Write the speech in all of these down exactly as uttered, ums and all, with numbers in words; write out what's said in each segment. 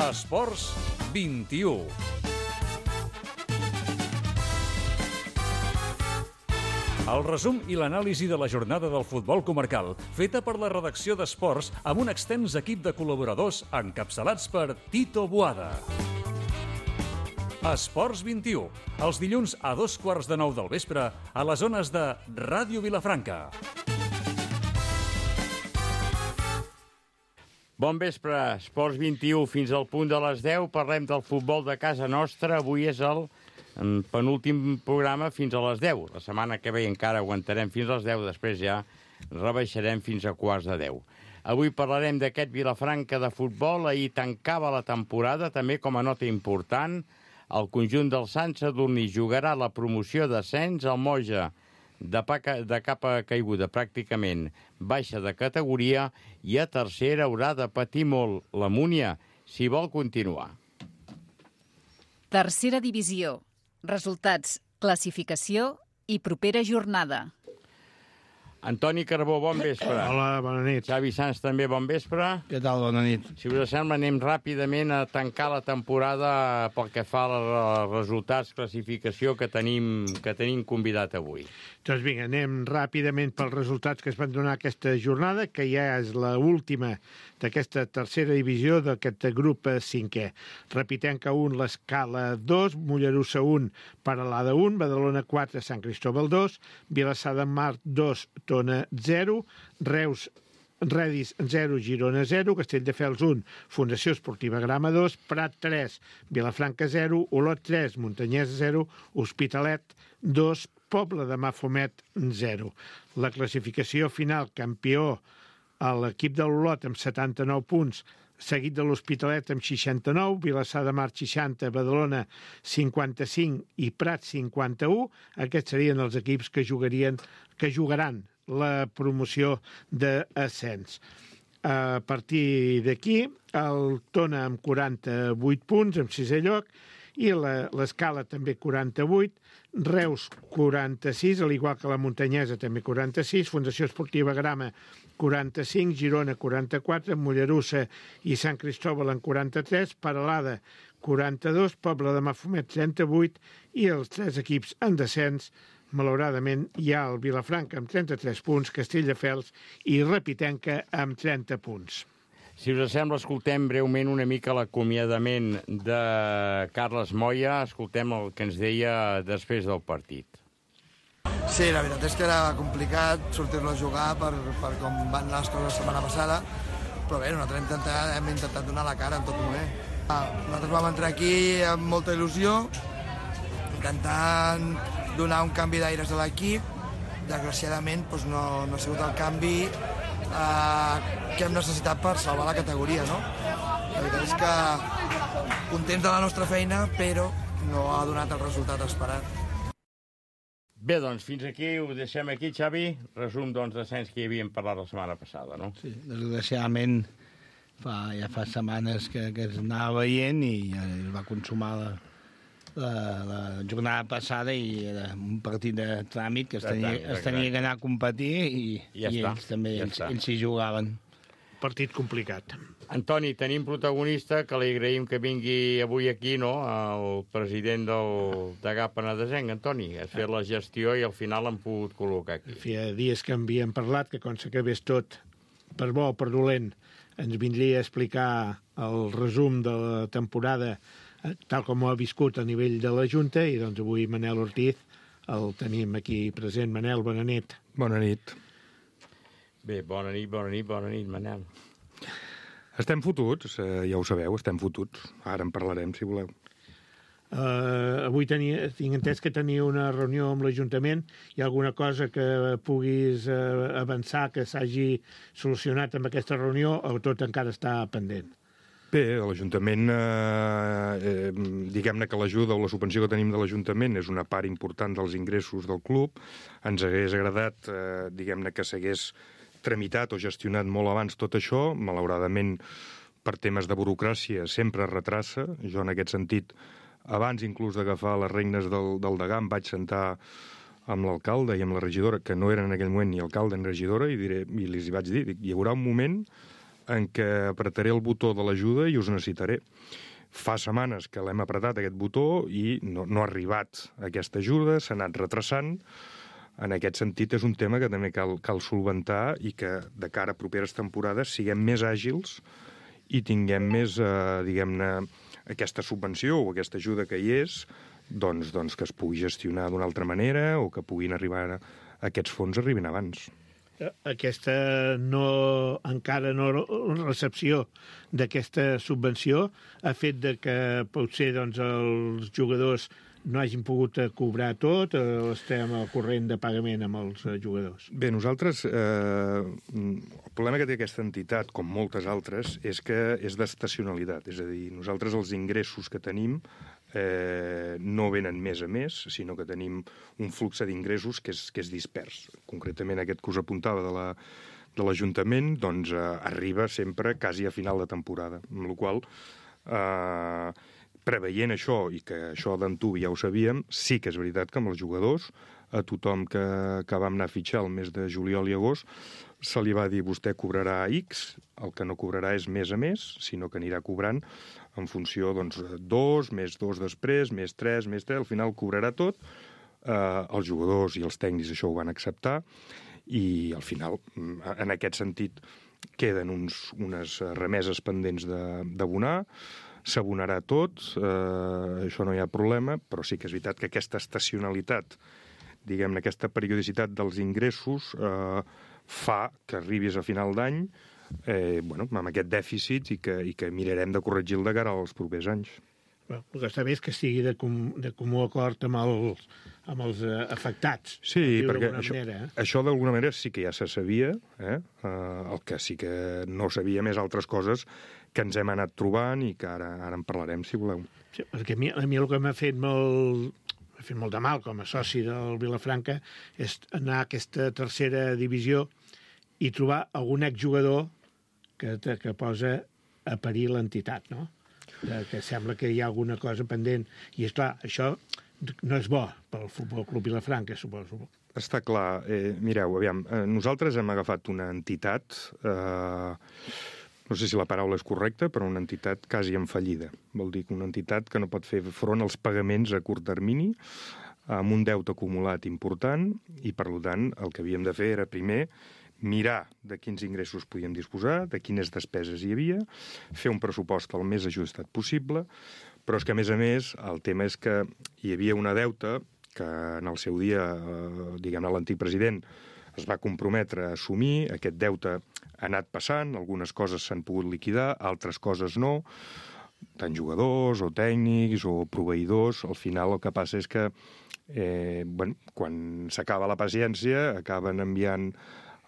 Esports vint-i-u. El resum i l'anàlisi de la jornada del futbol comarcal, feta per la redacció d'Esports amb un extens equip de col·laboradors encapçalats per Tito Boada. Esports vint-i-u, els dilluns a dos quarts de nou del vespre a les zones de Ràdio Vilafranca. Bon vespre, Esports vint-i-u, fins al punt de les deu. Parlem del futbol de casa nostra. Avui és el penúltim programa fins a les deu. La setmana que ve encara aguantarem fins a les deu, després ja rebaixarem fins a quarts de deu. Avui parlarem d'aquest Vilafranca de futbol. Ahir tancava la temporada, també com a nota important. El conjunt del Sant Sadurní jugarà la promoció d'ascens. El Moja, de, paca, de capa caiguda, pràcticament baixa de categoria, i a tercera haurà de patir molt la Múnia si vol continuar. Tercera divisió. Resultats, classificació i propera jornada. Antoni Carbó, bon vespre. Hola, bona nit. Xavi Sans, també bon vespre. Què tal, bona nit. Si us sembla, anem ràpidament a tancar la temporada pel que fa als resultats, classificació que tenim, que tenim convidat avui. Doncs vinga, anem ràpidament pels resultats que es van donar aquesta jornada, que ja és l'última d'aquesta tercera divisió d'aquest grup cinquè. Repitenca un, l'Escala dos, Mollerussa un, Paralada un, Badalona quatre, Sant Cristóbal dos, Vilassar de Mar dos, Tona zero, Reus Redis zero, Girona zero, Castelldefels un, Fundació Esportiva Grama dos, Prat tres, Vilafranca zero, Olot tres, Montanyès zero, Hospitalet dos, Pobla de Mafumet zero. La classificació final, campió a l'equip de l'Olot amb setanta-nou punts, seguit de l'Hospitalet amb seixanta-nou, Vilassar de Mar seixanta, Badalona cinquanta-cinc i Prat cinquanta-u. Aquests serien els equips que jugarien, que jugaran la promoció d'ascens. A partir d'aquí, el Tona amb quaranta-vuit punts, amb sisè lloc, i l'Escala també quaranta-vuit, Reus quaranta-sis, al igual que la Montanyesa també quaranta-sis, Fundació Esportiva Grama quaranta-cinc, Girona quaranta-quatre, Mollerussa i Sant Cristóbal en quaranta-tres, Paralada quaranta-dos, Pobla de Mafumet trenta-vuit i els tres equips en descens. Malauradament hi ha el Vilafranca amb trenta-tres punts, Castelldefels i Repitenca amb trenta punts. Si us sembla, escoltem breument una mica l'acomiadament de Carles Moya. Escoltem el que ens deia després del partit. Sí, la veritat és que era complicat sortir-lo a jugar per, per com van anar les coses la setmana passada, però bé, nosaltres hem intentat, hem intentat donar la cara en tot moment. Nosaltres vam entrar aquí amb molta il·lusió, intentant donar un canvi d'aires a l'equip. Desgraciadament doncs no, no ha sigut el canvi eh, que hem necessitat per salvar la categoria, no? La veritat és que contents de la nostra feina, però no ha donat el resultat esperat. Bé, doncs, fins aquí, ho deixem aquí, Xavi. Resum, doncs, d'ascens que hi havíem parlat la setmana passada, no? Sí, desgraciadament fa, ja fa setmanes que, que es anava veient i ja es va consumar la, la, la jornada passada i era un partit de tràmit que es tenia, es tenia que anar a competir i, ja i està, ells també, ja ells, està. ells s'hi jugaven. Partit complicat. Antoni, tenim protagonista, que li agraïm que vingui avui aquí, no?, el president del Degà Penedesenc. Antoni, has fet la gestió i al final l'hem pogut col·locar aquí. Feia dies que havíem parlat, que quan s'acabés tot, per bo o per dolent, ens vindria a explicar el resum de la temporada tal com ho ha viscut a nivell de la Junta, i doncs avui Manel Ortiz el tenim aquí present. Manel, bona nit. Bona nit. Bé, bona nit, bona nit, bona nit, Manel. Estem fotuts, eh, ja ho sabeu, estem fotuts. Ara en parlarem, si voleu. Uh, avui tenia, tinc entès que tenia una reunió amb l'Ajuntament. Hi ha alguna cosa que puguis uh, avançar, que s'hagi solucionat amb aquesta reunió, o tot encara està pendent? Bé, l'Ajuntament, eh, eh, diguem-ne que l'ajuda o la subvenció que tenim de l'Ajuntament és una part important dels ingressos del club. Ens hagués agradat, eh, diguem-ne, que s'hagués tramitat o gestionat molt abans tot això. Malauradament, per temes de burocràcia, sempre es retrassa. Jo, en aquest sentit, abans inclús d'agafar les regnes del, del Degà, em vaig sentar amb l'alcalde i amb la regidora, que no eren en aquell moment ni alcalde ni regidora, i, diré, i els hi vaig dir, dic, hi haurà un moment en què apretaré el botó de l'ajuda i us necessitaré. Fa setmanes que l'hem apretat, aquest botó, i no, no ha arribat aquesta ajuda, s'ha anat retrasant. En aquest sentit, és un tema que també cal, cal solventar i que, de cara a properes temporades, siguem més àgils i tinguem més, eh, diguem-ne, aquesta subvenció o aquesta ajuda que hi és, doncs, doncs que es pugui gestionar d'una altra manera o que puguin arribar a, aquests fons arribin abans. Aquesta no, encara no recepció d'aquesta subvenció ha fet de que potser doncs, els jugadors no hagin pogut cobrar tot o estem al corrent de pagament amb els jugadors? Bé, nosaltres, eh, el problema que té aquesta entitat, com moltes altres, és que és d'estacionalitat. És a dir, nosaltres els ingressos que tenim eh, no venen mes a mes, sinó que tenim un flux d'ingressos que, és, que és dispers. Concretament aquest que us apuntava de la de l'Ajuntament, doncs eh, arriba sempre quasi a final de temporada, amb la qual cosa, eh, preveient això, i que això d'antuvi ja ho sabíem, sí que és veritat que amb els jugadors, a tothom que, que vam anar a fitxar el mes de juliol i agost, se li va dir vostè cobrarà X, el que no cobrarà és mes a mes, sinó que anirà cobrant en funció, doncs, dos, més dos després, més tres, més tres, al final cobrarà tot. Eh, els jugadors i els tècnics això ho van acceptar, i al final, en aquest sentit, queden uns, unes remeses pendents d'abonar, s'abonarà tot, eh, això no hi ha problema, però sí que és veritat que aquesta estacionalitat, diguem-ne, aquesta periodicitat dels ingressos eh, fa que arribis a final d'any eh, bueno, amb aquest dèficit i que, i que mirarem de corregir-lo de cara als propers anys. Bueno, el que està bé és que estigui de, com, de comú acord amb els, amb els uh, afectats. Sí, perquè això, manera, eh? això d'alguna manera sí que ja se sabia, eh? Uh, el que sí que no sabia més altres coses que ens hem anat trobant i que ara, ara en parlarem, si voleu. Sí, perquè a mi, a mi el que m'ha fet molt... m'ha fet molt de mal com a soci del Vilafranca és anar a aquesta tercera divisió i trobar algun exjugador que, que posa a parir l'entitat, no? Que sembla que hi ha alguna cosa pendent. I, és clar, això no és bo pel Futbol Club Vilafranca, suposo. Està clar. Eh, mireu, aviam, eh, nosaltres hem agafat una entitat, eh, no sé si la paraula és correcta, però una entitat quasi en fallida. Vol dir que una entitat que no pot fer front als pagaments a curt termini, amb un deute acumulat important, i, per tant, el que havíem de fer era, primer, mirar de quins ingressos podíem disposar, de quines despeses hi havia, fer un pressupost el més ajustat possible, però és que, a més a més, el tema és que hi havia una deuta que en el seu dia, eh, diguem-ne, l'antic president es va comprometre a assumir. Aquest deute ha anat passant, algunes coses s'han pogut liquidar, altres coses no, tant jugadors o tècnics o proveïdors. Al final el que passa és que eh, bueno, quan s'acaba la paciència acaben enviant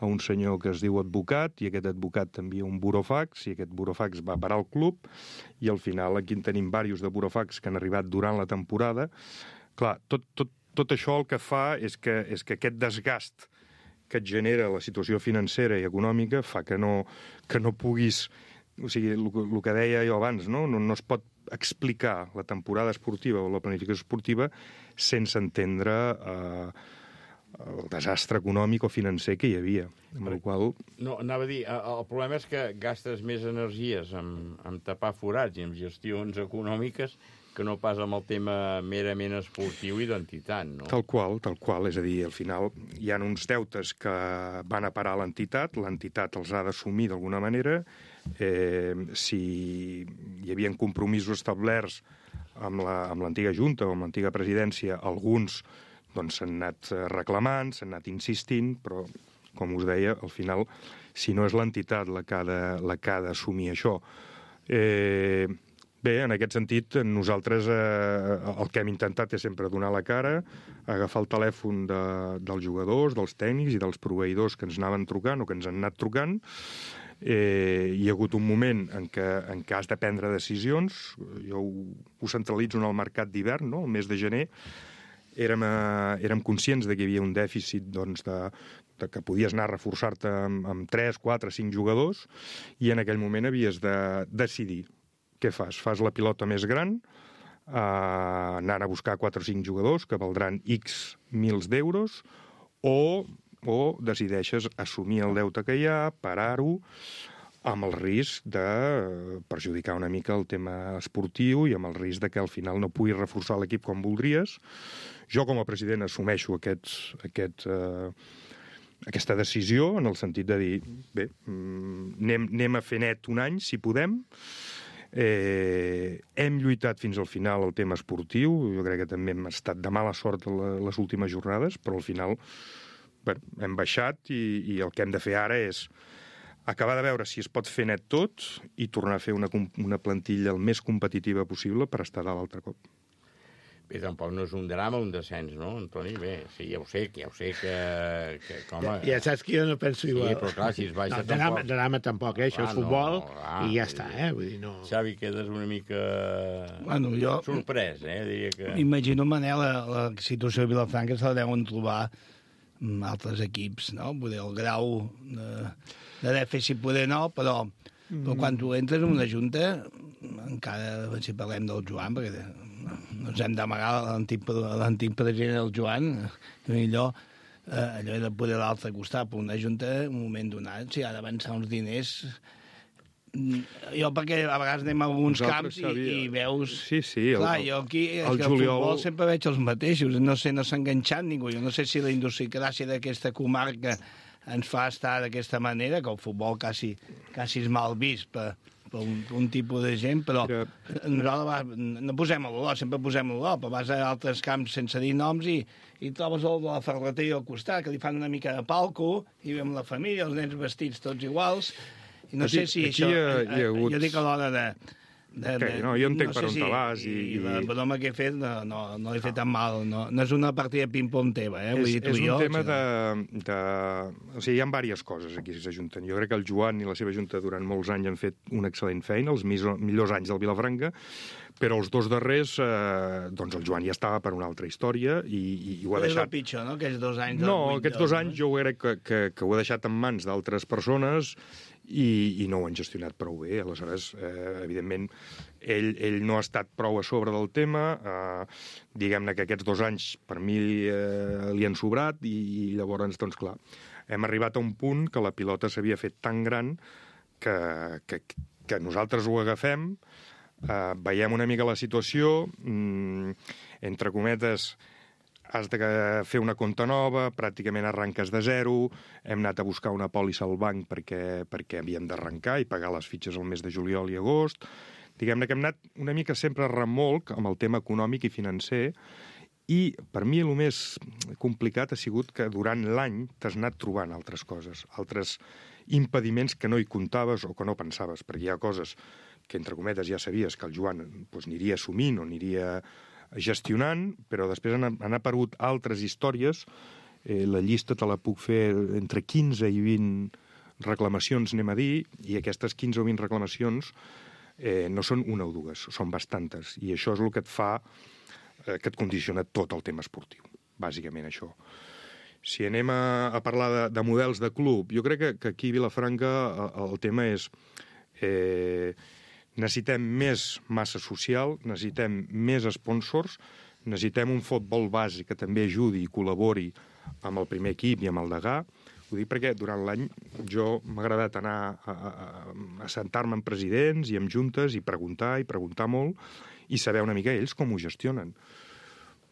a un senyor que es diu advocat, i aquest advocat envia un burofax, i aquest burofax va parar al club, i al final aquí en tenim diversos de burofax que han arribat durant la temporada. Clar, tot, tot, tot això el que fa és que, és que aquest desgast que et genera la situació financera i econòmica fa que no, que no puguis... O sigui, el, el que deia jo abans, no? No, no es pot explicar la temporada esportiva o la planificació esportiva sense entendre... Eh, el desastre econòmic o financer que hi havia. Amb el qual... No, anava a dir, el problema és que gastes més energies en, en tapar forats i en gestions econòmiques que no pas amb el tema merament esportiu i d'entitat, no? Tal qual, tal qual. És a dir, al final hi ha uns deutes que van a parar a l'entitat, l'entitat els ha d'assumir d'alguna manera. Eh, si hi havia compromisos establerts amb l'antiga la, Junta o amb l'antiga presidència, alguns doncs s'han anat reclamant, s'han anat insistint, però, com us deia, al final, si no és l'entitat la que ha d'assumir això. Eh, bé, en aquest sentit, nosaltres eh, el que hem intentat és sempre donar la cara, agafar el telèfon de, dels jugadors, dels tècnics i dels proveïdors que ens anaven trucant o que ens han anat trucant. Eh, hi ha hagut un moment en què, en què has de prendre decisions. Jo ho, ho centralitzo en el mercat d'hivern, no? El mes de gener, Érem, eh, érem conscients de que hi havia un dèficit doncs, de, de que podies anar a reforçar-te amb, amb tres, quatre, cinc jugadors, i en aquell moment havies de decidir què fas. Fas la pilota més gran, eh, anant a buscar quatre o cinc jugadors que valdran X mils d'euros, o, o decideixes assumir el deute que hi ha, parar-ho, amb el risc de perjudicar una mica el tema esportiu i amb el risc de que al final no pugui reforçar l'equip com voldries. Jo, com a president, assumeixo aquests, aquest, eh, aquesta decisió en el sentit de dir, bé, anem, anem a fer net un any, si podem. Eh, hem lluitat fins al final el tema esportiu, jo crec que també hem estat de mala sort les últimes jornades, però al final bé, hem baixat i, i el que hem de fer ara és acabar de veure si es pot fer net tot i tornar a fer una, una plantilla el més competitiva possible per estar dalt l'altre cop. Bé, tampoc no és un drama, un descens, no, Antoni? Bé, sí, ja ho sé, ja ho sé que... que com a... Ja saps que jo no penso igual. Sí, però clar, si es baixa no, tampoc... drama, drama tampoc, eh? Això és futbol no, clar, i ja està, eh? Vull dir, no... Xavi, quedes una mica bueno, jo... sorprès, eh? Diria que... Imagino, Manel, la, la situació de Vilafranca se la deuen trobar altres equips, no? Poder el grau de, de dèficit poder no, però, mm. però quan tu entres en una junta, encara si parlem del Joan, perquè no ens hem d'amagar l'antic president del Joan, i allò, eh, allò de poder l'altre costat per una junta, en un moment donat, si ha d'avançar uns diners... Jo, perquè a vegades anem a alguns camps i, i veus... Sí, sí. El, clar, jo aquí és el que el juliol... futbol sempre veig els mateixos. No sé, no s'ha enganxat ningú. Jo no sé si la idiosincràsia d'aquesta comarca ens fa estar d'aquesta manera, que el futbol quasi, quasi és mal vist per, per un, un tipus de gent, però ja. nosaltres no posem a l'olor, sempre posem a l'olor, però vas a altres camps sense dir noms i, i trobes el de la ferreteria al costat, que li fan una mica de palco, i veiem la família, els nens vestits tots iguals... I no aquí, sé si això... Hi ha, hi ha hagut... Jo dic a l'hora de... de, de okay, no, jo entenc no per on si, te vas. I, I la broma que he fet no, no, no l'he fet tan mal. No, no és una partida ping-pong teva, eh? Vull és, dir, tu és i jo, un tema o sigui... de, de... O sigui, hi ha diverses coses aquí que s'ajunten. Jo crec que el Joan i la seva junta durant molts anys han fet una excel·lent feina, els millors anys del Vilafranca, però els dos darrers, eh, doncs el Joan ja estava per una altra història i, i, i ho ha però deixat... És el pitjor, no?, aquells dos anys... No, aquests dos anys jo crec que, que, que ho he deixat en mans d'altres persones i, i no ho han gestionat prou bé. Aleshores, eh, evidentment, ell, ell no ha estat prou a sobre del tema. Eh, diguem-ne que aquests dos anys per mi eh, li han sobrat i, i llavors, doncs clar, hem arribat a un punt que la pilota s'havia fet tan gran que, que, que nosaltres ho agafem, eh, veiem una mica la situació, mm, entre cometes, has de fer una compta nova, pràcticament arranques de zero, hem anat a buscar una pòlissa al banc perquè, perquè havíem d'arrencar i pagar les fitxes al mes de juliol i agost. Diguem-ne que hem anat una mica sempre a remolc amb el tema econòmic i financer i per mi el més complicat ha sigut que durant l'any t'has anat trobant altres coses, altres impediments que no hi comptaves o que no pensaves, perquè hi ha coses que, entre cometes, ja sabies que el Joan doncs, aniria assumint o aniria gestionant, però després han, han aparegut altres històries. Eh, la llista te la puc fer entre quinze i vint reclamacions, anem a dir, i aquestes quinze o vint reclamacions eh, no són una o dues, són bastantes, i això és el que et fa, eh, que et condiciona tot el tema esportiu, bàsicament això. Si anem a, a parlar de, de models de club, jo crec que, que aquí a Vilafranca el, el tema és... Eh, necessitem més massa social, necessitem més sponsors, necessitem un futbol base que també ajudi i col·labori amb el primer equip i amb el degà. Ho dic perquè durant l'any jo m'ha agradat anar a, a, a sentar-me amb presidents i amb juntes i preguntar i preguntar molt i saber una mica ells com ho gestionen.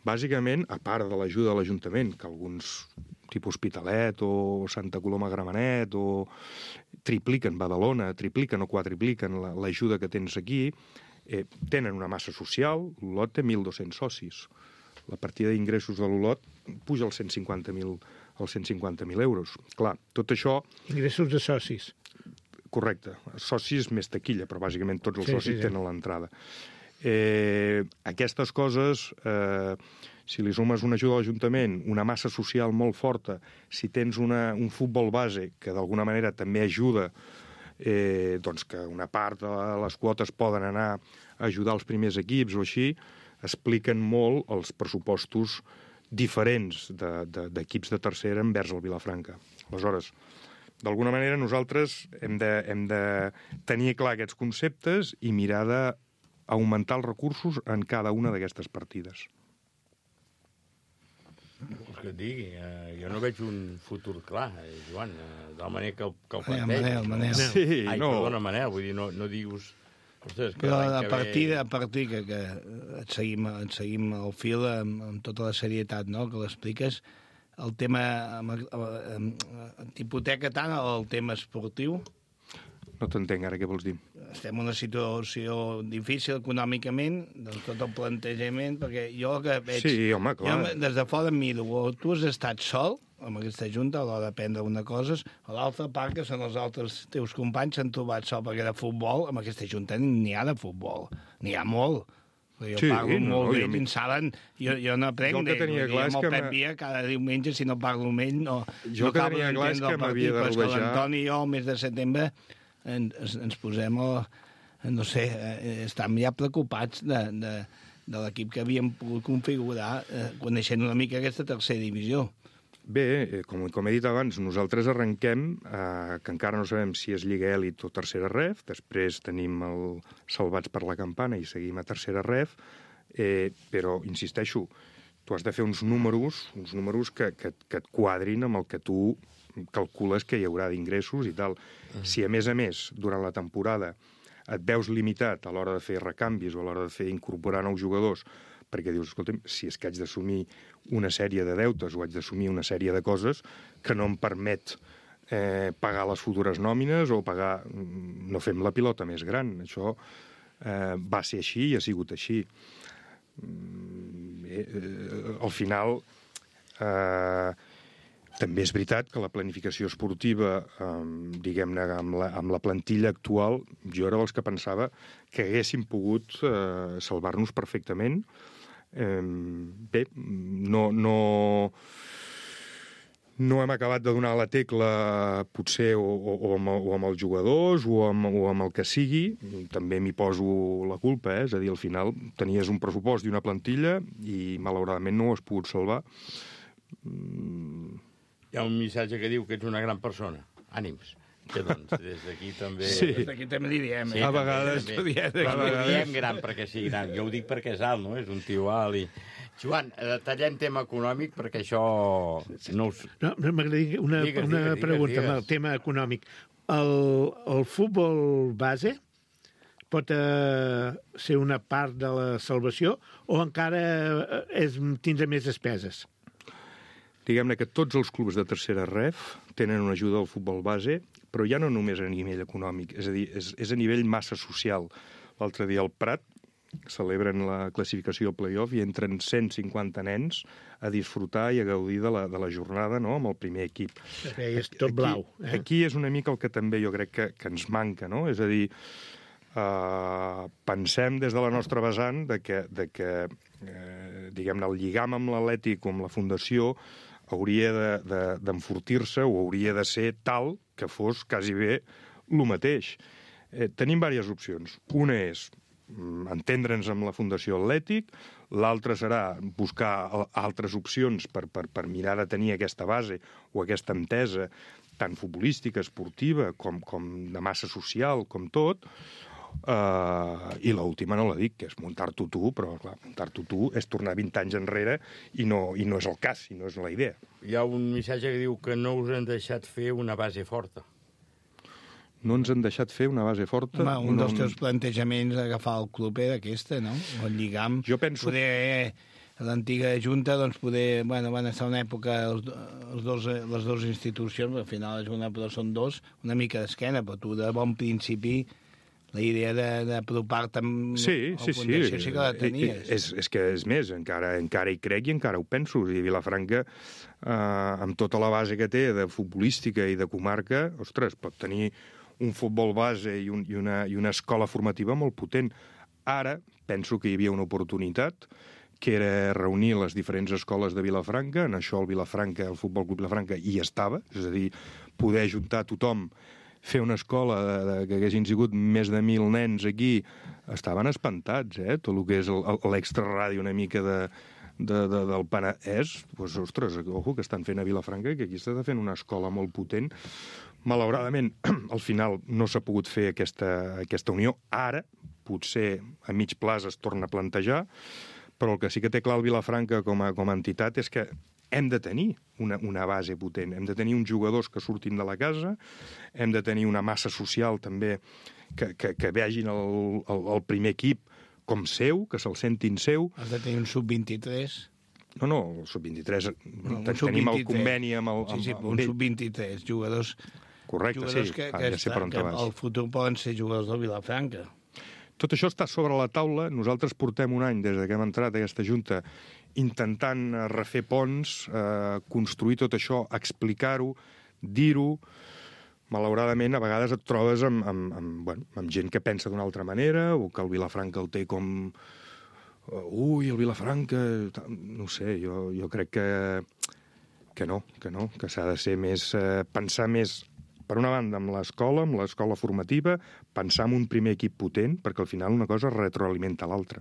Bàsicament, a part de l'ajuda de l'Ajuntament, que alguns tipus Hospitalet o Santa Coloma Gramenet o tripliquen Badalona, tripliquen o quadripliquen l'ajuda que tens aquí, eh, tenen una massa social, l'Olot té mil dos-cents socis. La partida d'ingressos de l'Olot puja als cent cinquanta mil als cent cinquanta mil euros. Clar, tot això... Ingressos de socis. Correcte. Socis més taquilla, però bàsicament tots els sí, socis sí, sí. tenen l'entrada. Eh, aquestes coses, eh, si li sumes una ajuda a l'Ajuntament, una massa social molt forta, si tens una, un futbol base que d'alguna manera també ajuda, eh, doncs que una part de les quotes poden anar a ajudar els primers equips o així, expliquen molt els pressupostos diferents d'equips de, de, de tercera envers el Vilafranca. Aleshores, d'alguna manera nosaltres hem de, hem de tenir clar aquests conceptes i mirar de augmentar els recursos en cada una d'aquestes partides. que et digui? Uh, jo no veig un futur clar, eh, Joan, uh, de la manera que el, que el Manel, planteja. Manel, Manel. Sí, Ai, no. perdona, Manel, vull dir, no, no digues... Ostres, que Però l'any a que partir, ve... a partir que, que et, seguim, et seguim el fil amb, amb tota la serietat, no?, que l'expliques, el tema amb, amb, amb, t'hipoteca tant el tema esportiu. No t'entenc ara què vols dir. Estem en una situació difícil econòmicament, de tot el plantejament, perquè jo el que veig... Sí, home, clar. Jo des de fora em miro, o tu has estat sol amb aquesta junta a l'hora de prendre una cosa, a l'altra part, que són els altres teus companys, s'han trobat sol, perquè de futbol, amb aquesta junta n'hi ha de futbol, n'hi ha molt. Jo Sí, parlo no, molt no, bé, jo i en saben, jo, jo no aprenc Jo el que d'ells, tenia vull dir, clar és amb el que Pep m'ha- Via cada diumenge, si no parlo amb ell, no, Jo no el que acabo tenia clar és d'entendre que el m'havia partit, de però és que rodejar- l'Antoni i jo, al mes de setembre, ens, ens posem, a, no sé, eh, estem ja preocupats de, de, de l'equip que havíem pogut configurar, eh, coneixent una mica aquesta tercera divisió. Bé, eh, com, com he dit abans, nosaltres arrenquem, eh, que encara no sabem si és Lliga Elit o Tercera Ref, després tenim el Salvats per la Campana i seguim a Tercera Ref, eh, però, insisteixo, tu has de fer uns números, uns números que, que, que et quadrin amb el que tu calcules que hi haurà d'ingressos i tal. Mm. Si, a més a més, durant la temporada et veus limitat a l'hora de fer recanvis o a l'hora de fer incorporar nous jugadors, perquè dius, escolta'm, si és que haig d'assumir una sèrie de deutes o haig d'assumir una sèrie de coses que no em permet eh, pagar les futures nòmines o pagar... No fem la pilota més gran. Això eh, va ser així i ha sigut així. Eh, eh, al final... Eh, també és veritat que la planificació esportiva, eh, diguem-ne, amb, la, amb la plantilla actual, jo era dels que pensava que haguéssim pogut eh, salvar-nos perfectament. Eh, bé, no, no, no hem acabat de donar la tecla, potser, o, o, o, amb, o amb els jugadors o amb, o amb el que sigui. També m'hi poso la culpa, eh? És a dir, al final tenies un pressupost i una plantilla i, malauradament, no ho has pogut salvar. Mm. Hi ha un missatge que diu que ets una gran persona. Ànims. Que doncs, des d'aquí també... Sí. Des d'aquí també li diem. Sí, Eh? A vegades- també, Diem, també. a No vegades. diem gran perquè sigui gran. Jo ho dic perquè és alt, no? És un tio alt i... Joan, eh, tallem tema econòmic perquè això... No us... No, m'agradaria una, Digues, una digues, pregunta digues. amb el tema econòmic. El, el futbol base pot eh, ser una part de la salvació o encara eh, és, tindrà més despeses? Diguem-ne que tots els clubs de tercera ref tenen una ajuda al futbol base, però ja no només a nivell econòmic, és a dir, és, és a nivell massa social. L'altre dia al Prat celebren la classificació al play-off i entren cent cinquanta nens a disfrutar i a gaudir de la, de la jornada, no?, amb el primer equip. Que és tot blau. Aquí, Eh? aquí és una mica el que també jo crec que, que ens manca, no? És a dir, uh, pensem des de la nostra vessant de que, de que eh, diguem-ne, el lligam amb l'Atlètic o amb la Fundació hauria d'enfortir-se de, de, o hauria de ser tal que fos quasi bé el mateix. Eh, tenim diverses opcions. Una és mm, entendre'ns amb la Fundació Atlètic, l'altra serà buscar altres opcions per, per, per mirar de tenir aquesta base o aquesta entesa tant futbolística, esportiva, com, com de massa social, com tot. Uh, i l'última no la dic, que és muntar-t'ho tu, però clar, muntar-t'ho tu és tornar vint anys enrere i no, i no és el cas, i no és la idea. Hi ha un missatge que diu que no us han deixat fer una base forta. No ens han deixat fer una base forta. Home, un no, dels teus plantejaments d'agafar el club era aquesta, no? El lligam. Jo penso- Poder, eh, l'antiga junta, doncs, poder... Bueno, van estar una època els, els dos, les dues institucions, al final és una, però són dos, una mica d'esquena, però tu de bon principi la idea d'apropar-te amb Sí, sí, sí. Fundació sí que la tenies. És, és que és més, encara, encara hi crec i encara ho penso. I Vilafranca, eh, amb tota la base que té de futbolística i de comarca, ostres, pot tenir un futbol base i, un, i, una, i una escola formativa molt potent. Ara penso que hi havia una oportunitat que era reunir les diferents escoles de Vilafranca. En això el Vilafranca, el Futbol Club Vilafranca, hi estava. És a dir, poder ajuntar tothom, fer una escola de, de, que haguessin sigut més de mil nens aquí, estaven espantats, eh? Tot el que és l'extraradi una mica de, de, de, del Penedès, doncs, ostres, ojo, que estan fent a Vilafranca, que aquí està fent una escola molt potent. Malauradament, al final no s'ha pogut fer aquesta, aquesta unió. Ara, potser a mig plaç es torna a plantejar, però el que sí que té clar el Vilafranca com a, com a entitat és que hem de tenir una, una base potent, hem de tenir uns jugadors que surtin de la casa, hem de tenir una massa social també que, que, que vegin el, el, el primer equip com seu, que se'l sentin seu. Has de tenir un sub vint-i-tres. No, no, el sub vint-i-tres, No, un tenim sub vint-i-tres. el conveni amb el... Sí, sí, amb, un amb sub vint-i-tres, jugadors... Correcte, jugadors sí, que, ah, que, ja sé per on que vas. al futur poden ser jugadors del Vilafranca. Tot això està sobre la taula. Nosaltres portem un any, des que hem entrat a aquesta junta, intentant refer ponts, eh, construir tot això, explicar-ho, dir-ho. Malauradament, a vegades et trobes amb, amb, amb, bueno, amb gent que pensa d'una altra manera, o que el Vilafranca el té com... Ui, el Vilafranca... No sé, jo, jo crec que, que no, que no, que s'ha de ser més... Eh, pensar més... Per una banda, amb l'escola, amb l'escola formativa, pensar en un primer equip potent, perquè al final una cosa retroalimenta l'altra.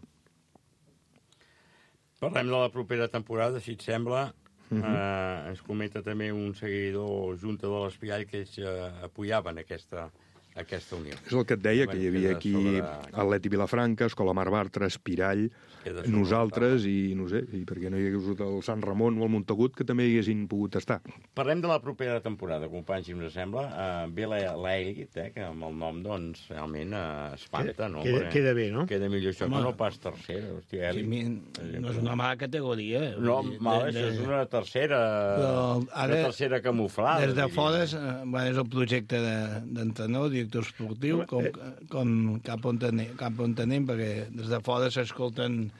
Parlem de la propera temporada, si et sembla. Uh -huh. eh, ens comenta també un seguidor junta de l'Espiall que ells eh, apoyaven aquesta, aquesta unió. És el que et deia, Bueno, que hi havia queda aquí sobre- Atleti Vilafranca, Escola Mar Bartra, Espirall, Queda sobre nosaltres, i no sé, i perquè no hi hagués hagut el Sant Ramon o el Montagut, que també hi haguessin pogut estar. Parlem de la propera temporada, companys, si us sembla. Uh, ve l'Elit, eh, que amb el nom, doncs, realment uh, espanta, no? Queda, Perquè queda bé, no? Queda millor això Home. que no pas tercera, hòstia, Sí, Elit. mi- no és una mala categoria. No, Vull dir, mal, de- això de- és una tercera, Però ara, una tercera camuflada. Des de diria. fora és, eh, bueno, és el projecte de- d'entrenador, director esportiu, com, com cap, on anem, cap on anem, perquè des de fora s'escolten...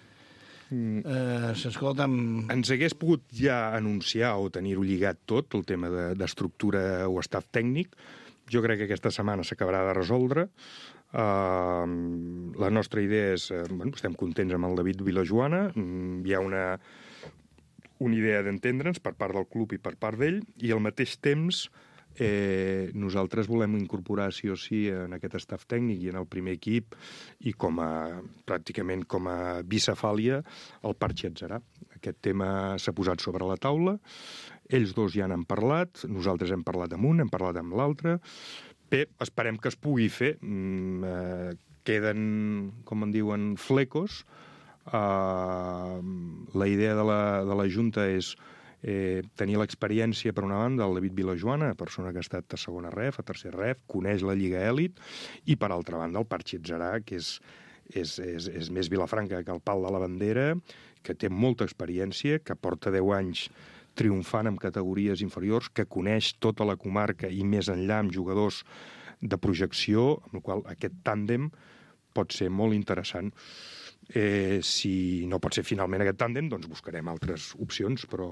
Eh, s'escolten... Ens hagués pogut ja anunciar o tenir-ho lligat tot, el tema de- d'estructura o staff tècnic. Jo crec que aquesta setmana s'acabarà de resoldre. Uh, la nostra idea és... Uh, bueno, estem contents amb el David Vilajoana. Mm, hi ha una, una idea d'entendre'ns per part del club i per part d'ell, i al mateix temps eh, nosaltres volem incorporar sí o sí en aquest staff tècnic i en el primer equip i com a, pràcticament com a bicefàlia el Parchi Atzarà. Aquest tema s'ha posat sobre la taula, ells dos ja n'han parlat, nosaltres hem parlat amb un, hem parlat amb l'altre. Bé, esperem que es pugui fer. Mm, eh, queden, com en diuen, flecos. Uh, la idea de la, de la Junta és eh, tenir l'experiència, per una banda, el David Vilajoana, persona que ha estat a segona ref, a tercer ref, coneix la Lliga Èlit, i per altra banda el Parchi Atzarà, que és, és, és, és més Vilafranca que el pal de la bandera, que té molta experiència, que porta deu anys triomfant en categories inferiors, que coneix tota la comarca i més enllà amb jugadors de projecció, amb el qual aquest tàndem pot ser molt interessant. Eh, si no pot ser finalment aquest tàndem, doncs buscarem altres opcions, però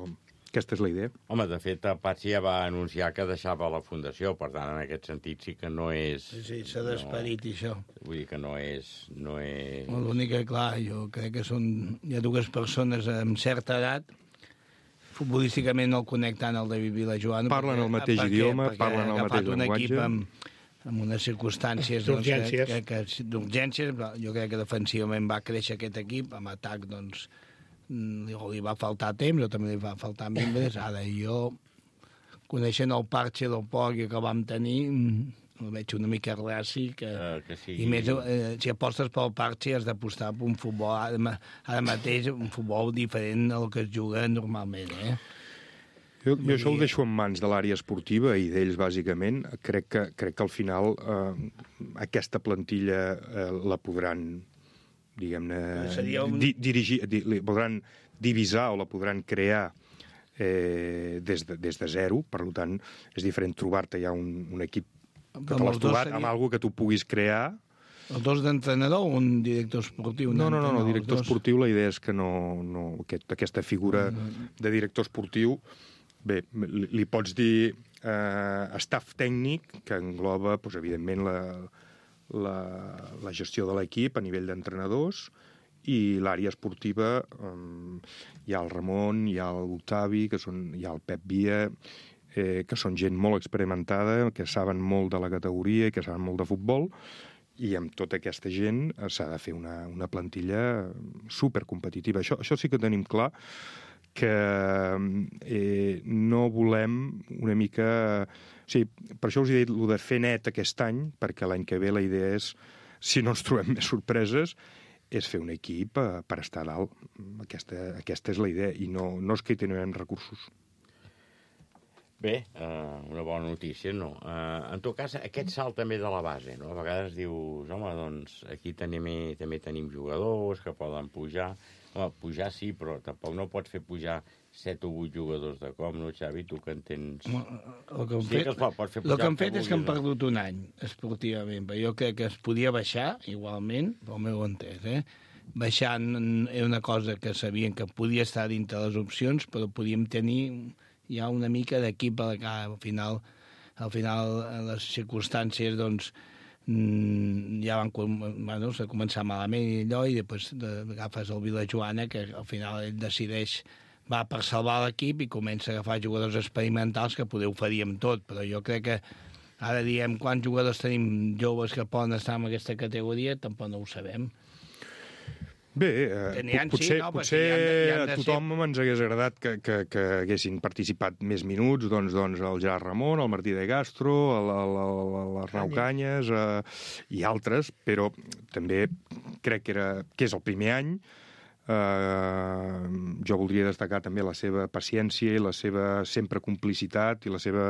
aquesta és la idea. Home, de fet, el Patxi ja va anunciar que deixava la fundació, per tant, en aquest sentit sí que no és... Sí, sí, s'ha d'esperit, no, això. Vull dir que no és... No és... L'únic que, clar, jo crec que són... Hi ha dues persones amb certa edat, futbolísticament no el conec tant el David Vilajoana. Parlen el mateix perquè, idioma, perquè parlen el mateix un llenguatge. equip amb, amb unes circumstàncies D'urgències. doncs, que, que, que, d'urgències. Jo crec que defensivament va créixer aquest equip, amb atac doncs, li, li va faltar temps, o també li va faltar membres. Ara jo, coneixent el Parche del Poc que vam tenir, el veig una mica raci, que, Uh, que sigui... i més, eh, si apostes pel Parche has d'apostar per un futbol, ara, ma- ara mateix un futbol diferent al que es juga normalment, eh? Jo, jo això ho deixo en mans de l'àrea esportiva i d'ells, bàsicament. Crec que, crec que al final eh, aquesta plantilla eh, la podran, diguem-ne, Seria un- di, dirigir, di, li podran divisar o la podran crear eh, des, de, des de zero. Per tant, és diferent trobar-te ja un, un equip que te Amb l'has els dos trobat seria- amb alguna que tu puguis crear. Els dos d'entrenador o un director esportiu? No, no, no, no, els director dos. esportiu, la idea és que no, no aquest, aquesta figura de director esportiu, bé, li, li pots dir eh, staff tècnic, que engloba, doncs, evidentment, la, la, la gestió de l'equip a nivell d'entrenadors, i l'àrea esportiva, eh, hi ha el Ramon, hi ha l'Octavi, que són, hi ha el Pep Via, eh, que són gent molt experimentada, que saben molt de la categoria i que saben molt de futbol, i amb tota aquesta gent eh, s'ha de fer una, una plantilla supercompetitiva. Això, això sí que tenim clar, que eh, no volem una mica... O sigui, per això us he dit el de fer net aquest any, perquè l'any que ve la idea és, si no ens trobem més sorpreses, és fer un equip eh, per estar a dalt. Aquesta, aquesta és la idea, i no, no és que hi tenim recursos. Bé, uh, una bona notícia, no? Uh, en tot cas, aquest salt també de la base, no? A vegades dius, home, doncs aquí tenim, també tenim jugadors que poden pujar. Home, pujar sí, però tampoc no pots fer pujar set o vuit jugadors de cop, no, Xavi? Tu que en tens... El que han Sí fet, que es pot, pots fer el pujar que han que fet és que han vulguis, perdut un any esportivament, però jo crec que es podia baixar igualment, pel meu entès, eh? Baixar n- era una cosa que sabien que podia estar dintre les opcions, però podíem tenir ja una mica d'equip a la que al final, al final les circumstàncies, doncs, mm, ja van, com- bueno, s'ha començat malament i allò, i després de- agafes el Vilajoana, que al final ell decideix, va per salvar l'equip i comença a agafar jugadors experimentals que poder ho faríem tot, però jo crec que ara diem quants jugadors tenim joves que poden estar en aquesta categoria, tampoc no ho sabem. Bé, eh, Que n'hi ha, potser, sí, no, però potser sí, hi han de- hi han de a tothom ens hagués agradat que, que, que haguessin participat més minuts, doncs, doncs el Gerard Ramon, el Martí de Castro, el- el- el- l'Arnau Canyes eh, i altres, però també crec que, era, que és el primer any. Eh, jo voldria destacar també la seva paciència i la seva sempre complicitat i la seva,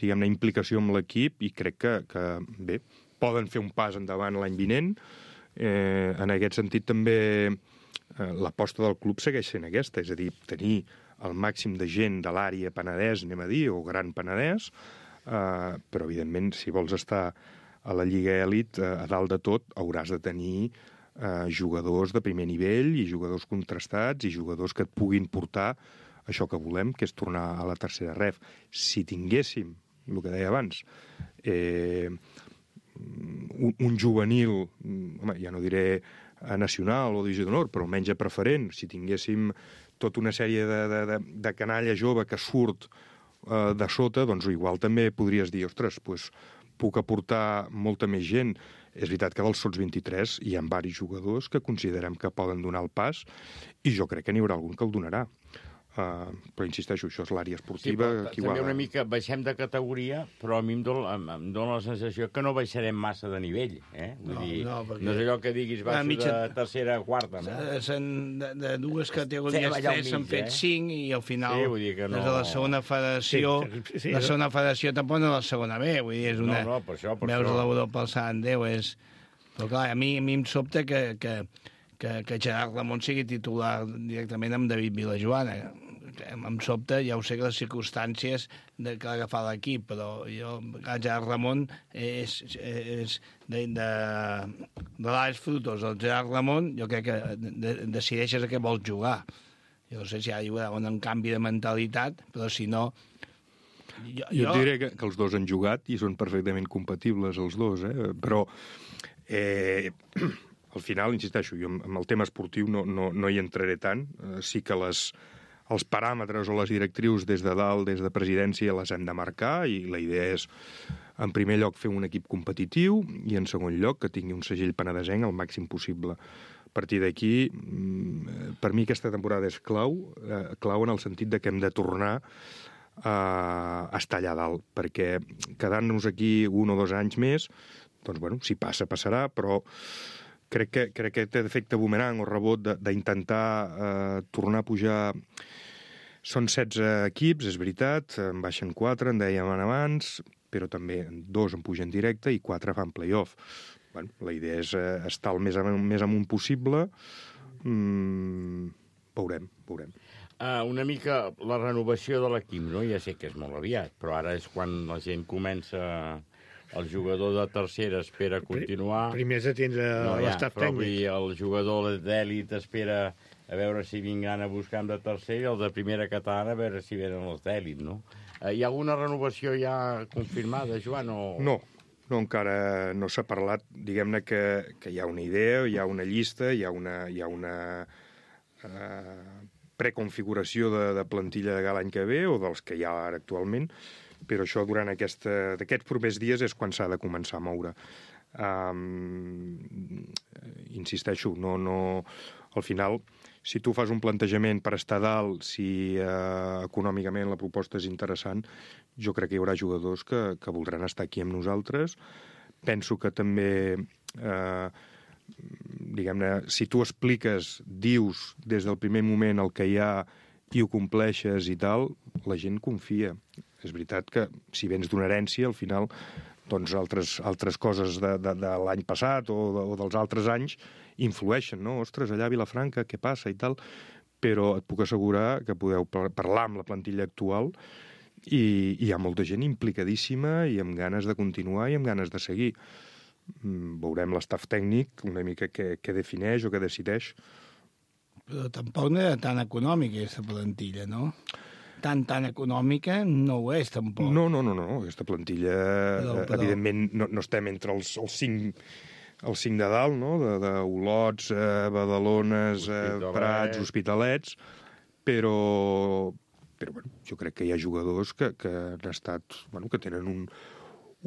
diguem-ne, implicació amb l'equip, i crec que, que bé, poden fer un pas endavant l'any vinent. Eh, en aquest sentit també eh, l'aposta del club segueix sent aquesta, és a dir, tenir el màxim de gent de l'àrea Penedès, anem a dir, o Gran Penedès, eh, però evidentment si vols estar a la Lliga Elit, eh, a dalt de tot hauràs de tenir eh, jugadors de primer nivell i jugadors contrastats i jugadors que et puguin portar això que volem, que és tornar a la tercera ref. Si tinguéssim, el que deia abans, eh, un, un juvenil, home, ja no diré a nacional o divisió d'honor, però almenys a preferent, si tinguéssim tota una sèrie de, de, de, de canalla jove que surt eh, de sota, doncs igual també podries dir, ostres, doncs, puc aportar molta més gent. És veritat que dels sots vint-i-tres hi ha diversos jugadors que considerem que poden donar el pas, i jo crec que n'hi haurà algun que el donarà. Uh, però insisteixo, això és l'àrea esportiva. Sí, però també una mica baixem de categoria, però a mi em dona, em, em dona la sensació que no baixarem massa de nivell, eh? Vull No, dir, no, perquè- no és allò que diguis baixo mitja- de tercera a quarta, no? Eh, s'han- De, de dues categories, Estem allà al tres, s'han mig, fet eh? cinc, i al final, Sí, vull dir que no- des de la segona federació, Sí, sí, la sí. segona federació tampoc no és la segona B, vull dir, és una... No, no, per això, per veus això. l'Europa al Sant Déu, és... Però clar, a mi, a mi em sobta que, que, que, que Gerard Ramon sigui titular directament amb David Vilajoana. Em, em sobta, ja ho sé que les circumstàncies de, que ha agafat l'equip, però jo, el Gerard Ramon és, és de, de, de l'Àlex Frutos, el Gerard Ramon, jo crec que de, decideixes a què vols jugar. Jo no sé si hi haurà un canvi de mentalitat, però si no... Jo, jo et diré que, que els dos han jugat i són perfectament compatibles els dos, eh? Però eh, al final, insisteixo, jo amb el tema esportiu no, no, no hi entraré tant. Eh, sí que les, els paràmetres o les directrius des de dalt, des de presidència, les hem de marcar, i la idea és, en primer lloc, fer un equip competitiu, i en segon lloc, que tingui un segell penedesenc el màxim possible. A partir d'aquí, per mi aquesta temporada és clau, eh, clau en el sentit de que hem de tornar a estar allà dalt, perquè quedant-nos aquí un o dos anys més, doncs, bueno, si passa, passarà, però crec que, crec que té efecte boomerang o rebot d'intentar eh, tornar a pujar. Són setze equips, és veritat, en baixen quatre, en dèiem abans, però també dos en pugen directe i quatre fan play-off. Bueno, la idea és eh, estar el més amunt, més amunt possible. Mm, veurem, veurem. Uh, una mica la renovació de l'equip, no? Ja sé que és molt aviat, però ara és quan la gent comença... El jugador de tercera espera continuar... Primer has de tindre no, ja, l'estaf però vull tècnic. dir, el jugador d'èlit espera a veure si vindran a buscar de tercer, i el de primera catalana a veure si venen els d'èlit, no? Uh, hi ha alguna renovació ja confirmada, Joan? O... No, no, encara no s'ha parlat. Diguem-ne que, que hi ha una idea, hi ha una llista, hi ha una, hi ha una uh, preconfiguració de, de plantilla de l'any que ve o dels que hi ha ara actualment, però això durant aquesta, d'aquests propers dies és quan s'ha de començar a moure. Um, insisteixo, no, no, al final, si tu fas un plantejament per estar dalt, si uh, econòmicament la proposta és interessant, jo crec que hi haurà jugadors que, que voldran estar aquí amb nosaltres. Penso que també... Uh, diguem-ne, si tu expliques, dius des del primer moment el que hi ha i ho compleixes i tal, la gent confia. És veritat que si vens d'una herència, al final, doncs altres, altres coses de, de, de l'any passat o, de, o dels altres anys influeixen, no? Ostres, allà a Vilafranca, què passa i tal? Però et puc assegurar que podeu parlar amb la plantilla actual i, i hi ha molta gent implicadíssima i amb ganes de continuar i amb ganes de seguir. Veurem l'estaf tècnic una mica què, què defineix o què decideix. Però tampoc no era tan econòmica, aquesta plantilla, no? Tan, tan econòmica no ho és, tampoc. No, no, no, no. Aquesta plantilla, però, però... evidentment, no, no estem entre els, els cinc... el cinc de dalt, no?, d'Olots, eh, Badalones, eh, Prats, Hospitalets, però, però bueno, jo crec que hi ha jugadors que, que han estat, bueno, que tenen un,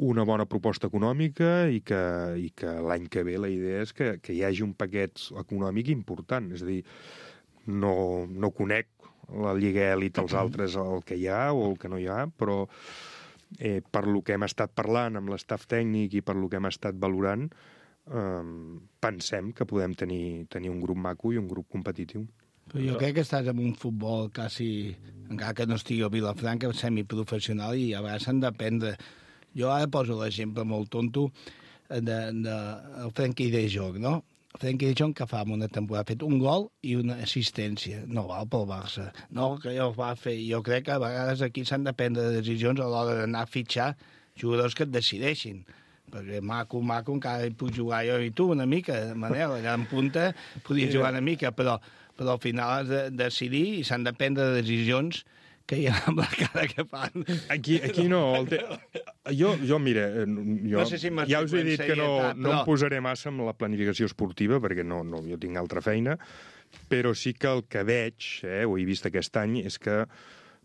una bona proposta econòmica i que, i que l'any que ve la idea és que, que hi hagi un paquet econòmic important. És a dir, no, no conec la Lliga Elit als altres el que hi ha o el que no hi ha, però eh, per lo que hem estat parlant amb l'estaf tècnic i per lo que hem estat valorant, Um, pensem que podem tenir, tenir un grup maco i un grup competitiu. Però jo crec que estàs en un futbol quasi, encara que no estigui a Vilafranca, semiprofessional, i a vegades s'han d'aprendre. Jo ara poso l'exemple molt tonto de, de el Frenkie de Jong, no? El Frenkie de Jong que fa una temporada ha fet un gol i una assistència. No val pel Barça. No, que ja ho va fer. Jo crec que a vegades aquí s'han de prendre decisions a l'hora d'anar a fitxar jugadors que et decideixin. Perquè maco, maco, encara hi puc jugar jo i tu una mica, Manel, allà en punta podies jugar una mica, però, però al final has de decidir i s'han de prendre decisions que hi ha amb la cara que fan. Aquí, aquí no. El te... jo, jo, mira, jo, no sé si ja us he dit que no, però... no em posaré massa amb la planificació esportiva, perquè no, no, jo tinc altra feina, però sí que el que veig, eh, ho he vist aquest any, és que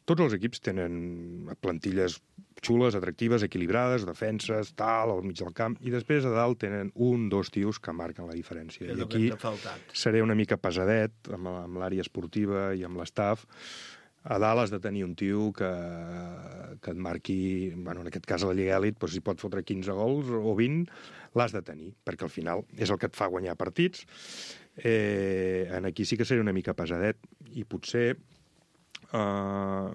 tots els equips tenen plantilles xules, atractives, equilibrades, defenses, tal, al mig del camp, i després a dalt tenen un, dos tios que marquen la diferència. És I aquí seré una mica pesadet amb, amb l'àrea esportiva i amb l'estaf. A dalt has de tenir un tio que, que et marqui, bueno, en aquest cas a la Lliga Elit, doncs si pot fotre quinze gols o vint, l'has de tenir, perquè al final és el que et fa guanyar partits. Eh, en aquí sí que seré una mica pesadet, i potser Uh,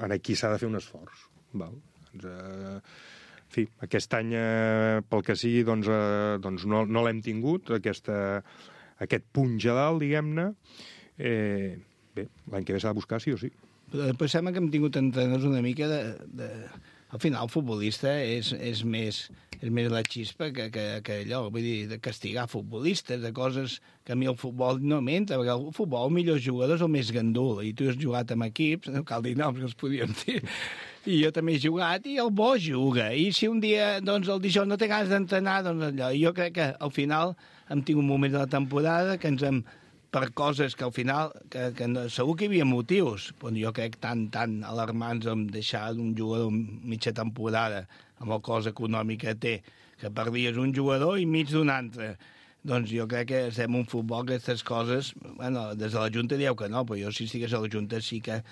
en aquí s'ha de fer un esforç. Val? Doncs, uh, en fi, aquest any, uh, pel que sigui, doncs, uh, doncs no, no l'hem tingut, aquesta, aquest punx a dalt, diguem-ne. Eh, bé, l'any que ve s'ha de buscar sí o sí. Però després sembla que hem tingut entrenadors una mica de... de... Al final, el futbolista és, és, més, és més la xispa que, que, que allò, vull dir, de castigar futbolistes, de coses que a mi el futbol no m'entra, perquè el futbol, el millor jugador és el més gandul, i tu has jugat amb equips, no cal dir noms que els podíem dir, i jo també he jugat, i el bo juga, i si un dia, doncs, el dijous no té ganes d'entrenar, doncs allò, i jo crec que al final hem tingut moments de la temporada que ens hem per coses que al final, que, que no, segur que hi havia motius, però jo crec tan, tan alarmants amb deixar un jugador mitja temporada amb el cost econòmic que té, que perdies un jugador i mig d'un altre. Doncs jo crec que estem un futbol que aquestes coses, bueno, des de la Junta dieu que no, però jo si estigués a la Junta sí que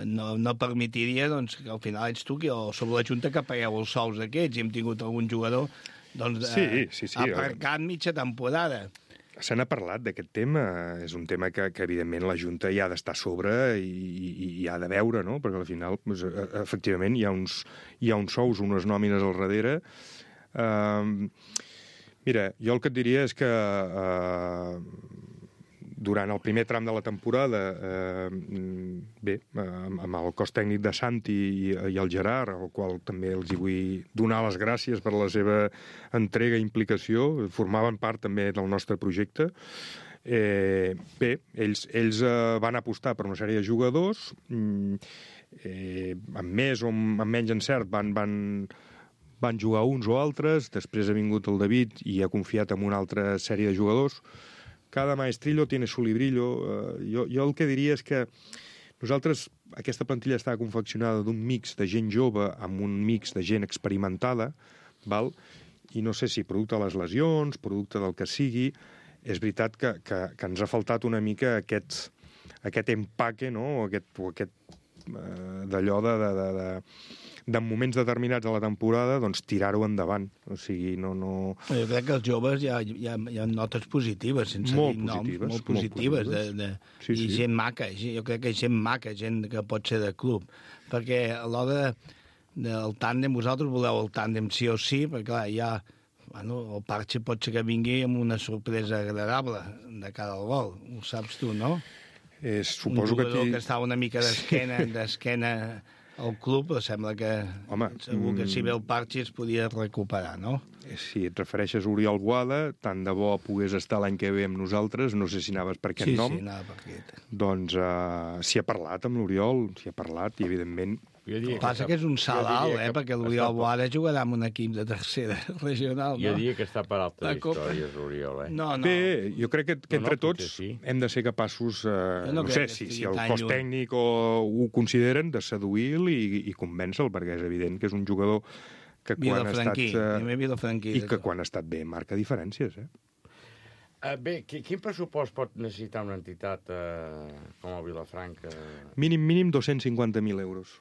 no, no permitiria doncs, que al final ets tu, que, o sobre la Junta que pagueu els sous aquests, i hem tingut algun jugador doncs, sí, eh, sí, sí, aparcat mitja temporada. Se n'ha parlat d'aquest tema, és un tema que, que evidentment la Junta hi ha d'estar a sobre i, i, i ha de veure, no? Perquè al final, doncs, efectivament, hi ha uns, hi ha uns sous, unes nòmines al darrere. Uh, mira, jo el que et diria és que uh, durant el primer tram de la temporada, eh, bé, amb, amb el cos tècnic de Santi i, i el Gerard, al qual també els hi vull donar les gràcies per la seva entrega i implicació, formaven part també del nostre projecte. Eh, bé, ells, ells eh, van apostar per una sèrie de jugadors, eh, amb més o amb menys encert van... van van jugar uns o altres, després ha vingut el David i ha confiat en una altra sèrie de jugadors. Cada maestrillo tiene su librillo. Uh, jo, jo el que diria és que nosaltres, aquesta plantilla està confeccionada d'un mix de gent jove amb un mix de gent experimentada, val? I no sé si producte de les lesions, producte del que sigui, és veritat que, que, que ens ha faltat una mica aquest, aquest empaque, no? o aquest, o aquest d'allò de... de, de, de de moments determinats de la temporada, doncs tirar-ho endavant. O sigui, no... no... Jo crec que els joves hi ha, hi ha, hi ha notes positives, sense molt dir noms, positives, molt positives, molt de, positives. de, Sí, i sí. gent maca, jo crec que gent maca, gent que pot ser de club, perquè a l'hora del tàndem, vosaltres voleu el tàndem sí o sí, perquè clar, hi ha... Bueno, el Parche pot ser que vingui amb una sorpresa agradable de cara al gol, ho saps tu, no? Eh, suposo un jugador que... que, que estava una mica d'esquena, d'esquena al club, però sembla que Home, segur que si mm, ve el Parche es podia recuperar, no? Si et refereixes a Oriol Boada, tant de bo pogués estar l'any que ve amb nosaltres, no sé si anaves per aquest sí, nom. Sí, anava per aquest. Doncs uh, s'hi ha parlat amb l'Oriol, s'hi ha parlat, i evidentment... El que passa que és un salt alt, eh, perquè l'Oriol Boada jugarà amb un equip de tercera regional, no? Jo diria que està per altres La Copa. històries, l'Oriol, eh? No, no. Bé, jo crec que, que No, no, entre potser tots sí. hem de ser capaços, eh, Jo no no, crec sé, que si, estigui si el tan cos lluny. tècnic o ho consideren, de seduir-lo i, i convèncer-lo, perquè és evident que és un jugador que quan ha estat... Vilafranquí, primer Vilafranquí. I que quan ha estat bé marca diferències, eh? Uh, bé, qui- quin pressupost pot necessitar una entitat uh, com el Vilafranca? Mínim, mínim dos-cents cinquanta mil euros.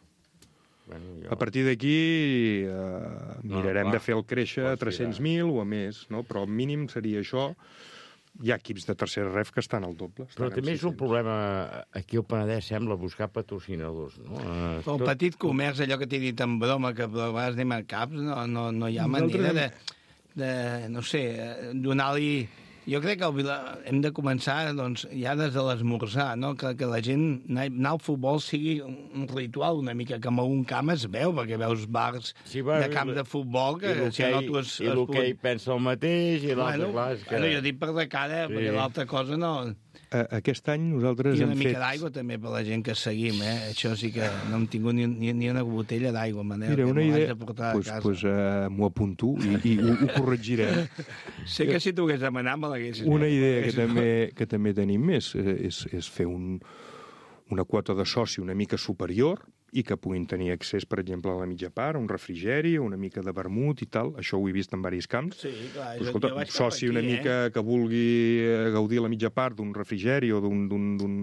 Bueno, jo... A partir d'aquí eh, mirarem clar, de fer el créixer a pots tres-cents mil o a més, no? Però el mínim seria això. Hi ha equips de tercera ref que estan al doble. Però estan també amb és un sis-cents. problema, aquí al Penedès sembla buscar patrocinadors, no? Uh, El petit comerç, allò que t'he dit en broma, que a vegades anem a caps, no, no, no hi ha Nosaltres manera de, de no sé, donar-li... Jo crec que el Vila... hem de començar doncs, ja des de l'esmorzar, no? que, que la gent anar anar al futbol sigui un ritual una mica, que en algun camp es veu, perquè veus bars Sí, va, de camp de futbol que I si no tu es... I l'hoquei pensa el mateix, i l'altre, Bueno, clar, és que... bueno, jo dic per de cara, Sí. perquè l'altra cosa no... Eh, Aquest any nosaltres I hem una mica fet... d'aigua també per la gent que seguim, eh? Això sí que no hem tingut ni, ni, ni una botella d'aigua, Manel, Mira, que una me l'haig idea... de portar Pues, a casa. pues, uh, m'ho apunto i, i ho, ho corregirem. Sé que si t'ho hagués demanat me l'haguessis... Una idea que m'haguessis- també, que també tenim és, és, és fer un, una quota de soci una mica superior i que puguin tenir accés, per exemple, a la mitja part, a un refrigeri, una mica de vermut i tal. Això ho he vist en diversos camps. Sí, clar, Però, jo, escolta, jo vaig cap soci aquí, una eh? mica que vulgui eh, gaudir la mitja part d'un refrigeri o d'un... d'un, d'un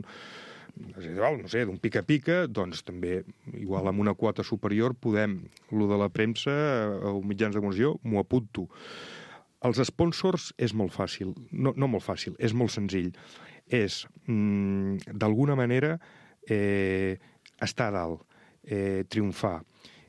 no sé, d'un pica-pica, doncs també, igual amb una quota superior, podem, lo de la premsa eh, o mitjans de comunicació, m'ho apunto. Els sponsors és molt fàcil, no, no molt fàcil, és molt senzill. És, mm, d'alguna manera, eh, estar a dalt, eh, triomfar.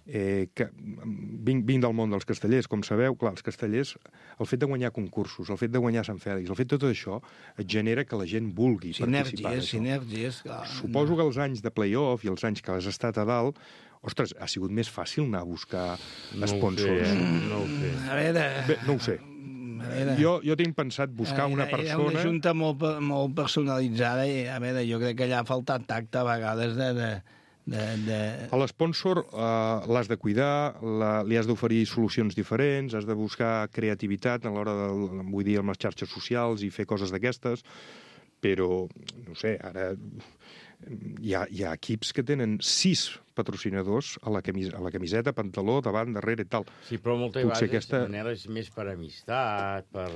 Eh, que, vinc, vinc del món dels castellers, com sabeu, clar, els castellers, el fet de guanyar concursos, el fet de guanyar Sant Fèlix, el fet de tot això, et genera que la gent vulgui participar. Sinergies, sinergies, clar. Suposo que els anys de play-off i els anys que has estat a dalt, ostres, ha sigut més fàcil anar a buscar No ho sponsors. sé, eh? No ho sé. A veure... Bé, no ho sé. A veure... Jo, jo tinc pensat buscar una Era- persona... Era una junta molt, pe- molt personalitzada i, a veure, jo crec que allà ha faltat tacte a vegades de... de, de, de... A l'esponsor uh, l'has de cuidar, la, li has d'oferir solucions diferents, has de buscar creativitat a l'hora de, vull dir, amb les xarxes socials i fer coses d'aquestes, però, no sé, ara hi ha, hi ha equips que tenen sis patrocinadors a la, camis a la camiseta, pantaló, davant, darrere i tal. Sí, però moltes Potser vegades aquesta- Manel, és més per amistat, per,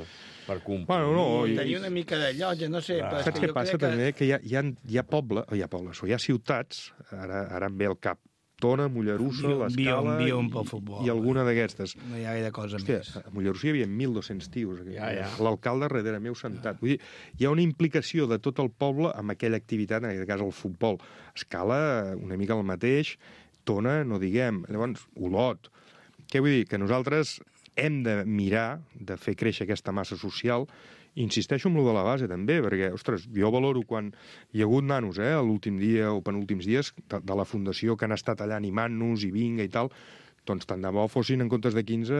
per compromís. Bueno, no, i- Tenia una mica de llotja, no sé. Clar. Però és Saps que què jo passa crec que... també? Que hi ha, hi ha, hi ha poble, o hi ha pobles, o hi ha ciutats, ara, ara em ve al cap, Tona, Mollerussa, Viu- l'Escala viu- viuen i, pel futbol. i alguna d'aquestes. No hi ha gaire cosa Hòstia, més. a Mollerussa hi havia mil dos-cents tios. Ja, ja. L'alcalde darrere meu sentat. Vull dir, hi ha una implicació de tot el poble amb aquella activitat, en aquest cas el futbol. Escala una mica el mateix, Tona, no diguem. Llavors, Olot. Què vull dir? Que nosaltres hem de mirar de fer créixer aquesta massa social. Insisteixo en lo de la base, també, perquè, ostres, jo valoro quan hi ha hagut nanos, eh, l'últim dia o penúltims dies, de, de la fundació que han estat allà animant-nos i vinga i tal, doncs tant de bo fossin en comptes de quinze,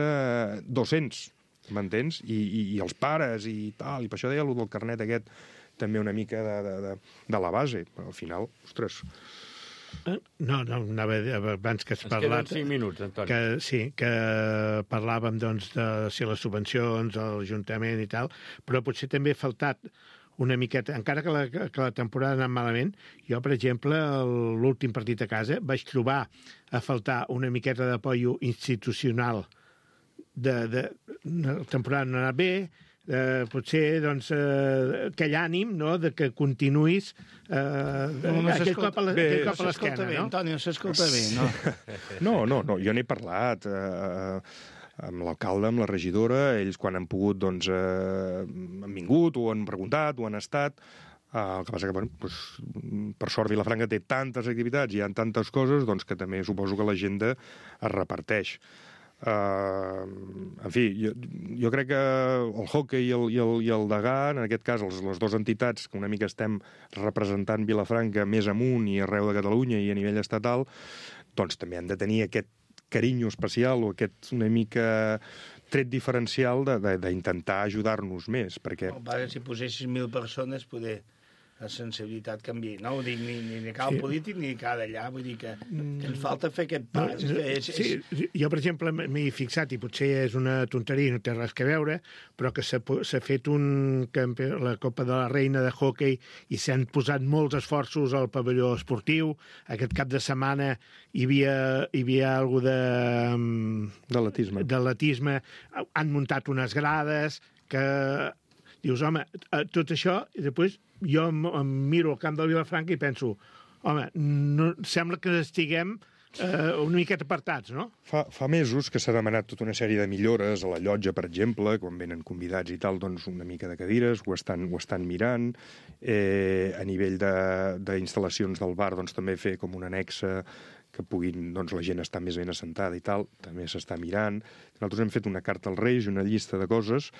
dos-cents, m'entens? I, i, I els pares i tal, i per això deia allò del carnet aquest, també una mica de, de, de, de la base. Però al final, ostres... No, no, anava a dir, abans que has Ens queden parlat... cinc minuts, Antoni. Que, sí, que parlàvem doncs, de si les subvencions, l'Ajuntament i tal, però potser també ha faltat una miqueta, encara que la, que la temporada ha anat malament, jo, per exemple, el- l'últim partit a casa vaig trobar a faltar una miqueta d'apoio institucional. De, de, la temporada no ha anat bé, eh, potser doncs, eh, aquell ànim, no?, de que continuïs eh, no, no aquell cop a la- bé, aquell cop a No s'escolta l'esquena, bé, no? Antoni, no s'escolta bé, no? No, no, no, jo n'he parlat eh, amb l'alcalde, amb la regidora, ells quan han pogut, doncs, eh, han vingut, o han preguntat, o han estat. Eh, el que passa que, bueno, doncs, per sort, Vilafranca té tantes activitats, hi ha tantes coses, doncs que també suposo que l'agenda es reparteix. Uh, en fi, jo, jo crec que el hockey i el, i el, i el Degà, en aquest cas els, les dues entitats que una mica estem representant Vilafranca més amunt i arreu de Catalunya i a nivell estatal, doncs també han de tenir aquest carinyo especial o aquest una mica tret diferencial d'intentar ajudar-nos més, perquè... Oh, pare, si posessis mil persones, poder la sensibilitat canvia. No ho dic ni, ni de cal Sí. polític ni de cal allà, vull dir que, que ens falta fer aquest pas. No, és, és, sí, jo, per exemple, m'he fixat, i potser és una tonteria, no té res que veure, però que s'ha po- s'ha fet un campe... la Copa de la Reina de hockey i s'han posat molts esforços al pavelló esportiu. Aquest cap de setmana hi havia, hi havia alguna de... D'atletisme. d'atletisme. Han muntat unes grades que... Dius, home, eh, tot això, i després jo em, em miro al camp del Vilafranca i penso, home, no, sembla que estiguem eh, una miqueta apartats, no? Fa, fa mesos que s'ha demanat tota una sèrie de millores a la llotja, per exemple, quan venen convidats i tal, doncs una mica de cadires, ho estan, ho estan mirant. Eh, a nivell de- d'instal·lacions del bar, doncs també fer com una anexa que puguin, doncs la gent estar més ben assentada i tal, també s'està mirant. Nosaltres hem fet una carta als Reis, una llista de coses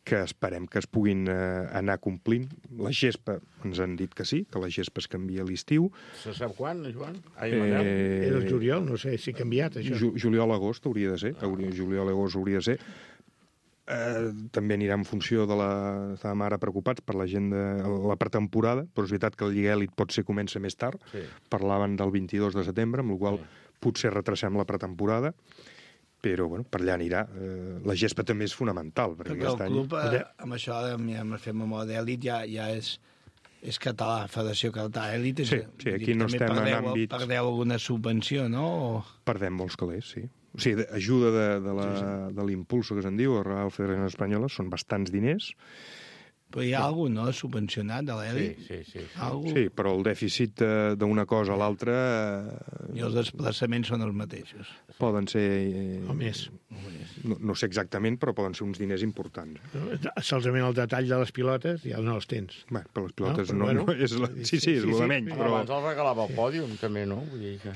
que esperem que es puguin eh, anar complint. La gespa, ens han dit que sí, que la gespa es canvia a l'estiu. Se sap quan, Joan? Ai, Manel? Era el juliol, no sé si ha canviat, això. Ju Juliol-agost hauria de ser, juliol-agost hauria de ser. Eh, també anirà en funció de la... Estàvem ara preocupats per la gent de la pretemporada, però és veritat que el Lliga Elit potser comença més tard. Sí. Parlaven del vint-i-dos de setembre, amb la qual sí. potser retracem la pretemporada, però bueno, per allà anirà. Eh, la gespa també és fonamental. Perquè, Perquè el aquest any... club, eh, amb això, amb, amb fer memòria d'èlit, ja, ja és, és català, Federació Català Èlit. Sí, sí, aquí no estem en perdeu, àmbits- Perdeu alguna subvenció, no? O... Perdem molts calés, sí. O sigui, de- ajuda de, de la- sí, sí. de l'impulso que se'n diu, a la Federació Espanyola, són bastants diners. Però hi ha alguna, no?, subvencionat de l'èlit? Sí, sí, sí. Algú... Sí, però el dèficit eh, d'una cosa a l'altra eh, I els desplaçaments són els mateixos. poden ser... Eh, O més. no, no sé exactament, però poden ser uns diners importants. Solament el detall de les pilotes ja no els tens. Bé, per les pilotes No, no, però no, bueno. és la... Sí, sí, és Sí, el sí, de menys, sí. però... Abans el regalava el pòdium, també, no? Vull dir que...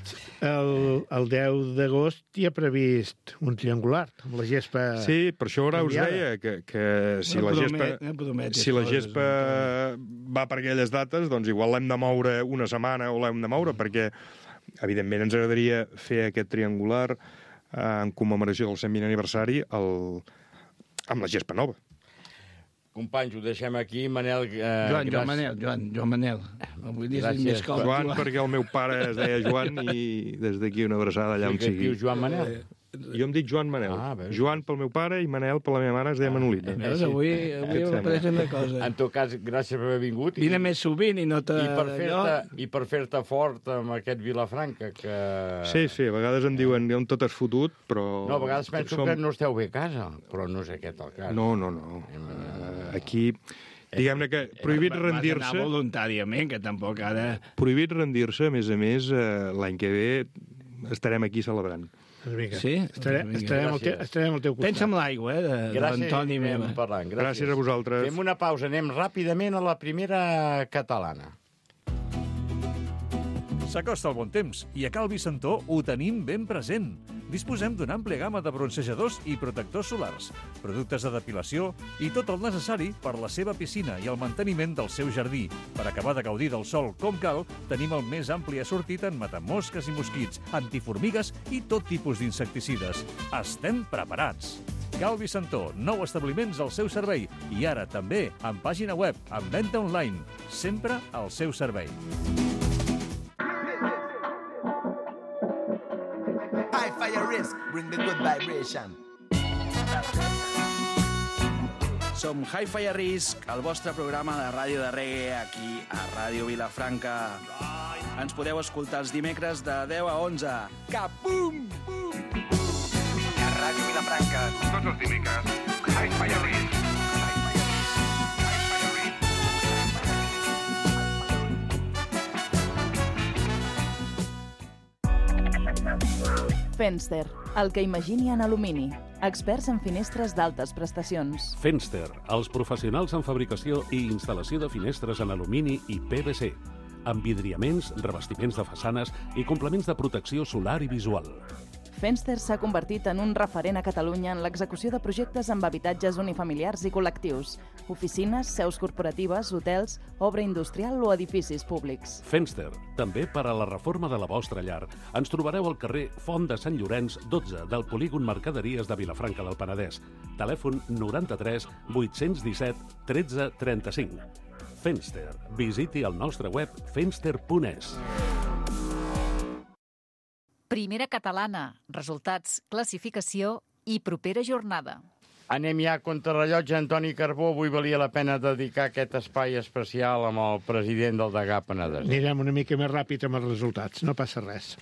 El, el deu d'agost hi ha previst un triangular amb la gespa... Sí, per això ara us canviada. deia que, que si No la promet- gespa, no prometis si la coses, gespa va per aquelles dates, doncs igual l'hem de moure una setmana o l'hem de moure, perquè evidentment ens agradaria fer aquest triangular eh, en commemoració del cent vint aniversari el... amb la gespa nova. Companys, ho deixem aquí. Manel, eh, Joan, gràcies. Joan Manel, Joan, Joan Manel. Avui dius Gràcies, més que el Joan, perquè el meu pare es deia Joan i des d'aquí una abraçada allà on Sí, que et sigui. dius Joan Manel? Jo em dic Joan Manel. Ah, bé. Joan pel meu pare i Manel per la meva mare es deia Manolita. Veus, avui, avui Què et hem sembla? après una cosa. En tot cas, gràcies per haver vingut. Vine més sovint i no te... I per allò- fer-te i per fer-te fort amb aquest Vilafranca, que... Sí, sí, a vegades em diuen on tot has fotut, però... No, a vegades penso som- que no esteu bé a casa, però no és aquest el cas. No, no, no. Uh, aquí, diguem-ne que prohibit Vas anar rendir-se, voluntàriament, que tampoc ara... prohibit rendir-se, a més a més, uh, l'any que ve estarem aquí celebrant. Doncs vinga, Sí? estarem, Vinga, estarem, al te, gràcies. estarem al teu costat. Pensa en l'aigua, eh, de, de Gràcies, l'Antoni i anem meva. parlant. Gràcies. Gràcies a vosaltres. Fem una pausa, anem ràpidament a la primera catalana. S'acosta el bon temps i a Cal Vicentó ho tenim ben present. Disposem d'una àmplia gamma de bronzejadors i protectors solars, productes de depilació i tot el necessari per la seva piscina i el manteniment del seu jardí. Per acabar de gaudir del sol com cal, tenim el més ampli assortit en matamosques i mosquits, antiformigues i tot tipus d'insecticides. Estem preparats! Cal Vicentó, nou establiments al seu servei i ara també amb pàgina web, amb venda online, sempre al seu servei. High fire risk, bring the good vibration. Som Hi-Fi a Risc, el vostre programa de ràdio de reggae aquí a Ràdio Vilafranca. Ens podeu escoltar els dimecres de deu a onze. Capum! A Ràdio Vilafranca. Tots els dimecres, Hi-Fi a Risc. Fenster, el que imagini en alumini. Experts en finestres d'altes prestacions. Fenster, els professionals en fabricació i instal·lació de finestres en alumini i P V C, amb vidriaments, revestiments de façanes i complements de protecció solar i visual. Fenster s'ha convertit en un referent a Catalunya en l'execució de projectes amb habitatges unifamiliars i col·lectius, oficines, seus corporatives, hotels, obra industrial o edificis públics. Fenster, també per a la reforma de la vostra llar. Ens trobareu al carrer Font de Sant Llorenç, dotze, del polígon Mercaderies de Vilafranca del Penedès. Telèfon noranta-tres vuit-cents disset tretze trenta-cinc. Fenster. Visiti el nostre web fenster punt es. Primera catalana, resultats, classificació i propera jornada. Anem ja a contrarrellotge, Antoni Carbó. Avui valia la pena dedicar aquest espai especial amb el president del Degà Penedès. Anirem una mica més ràpid amb els resultats, no passa res.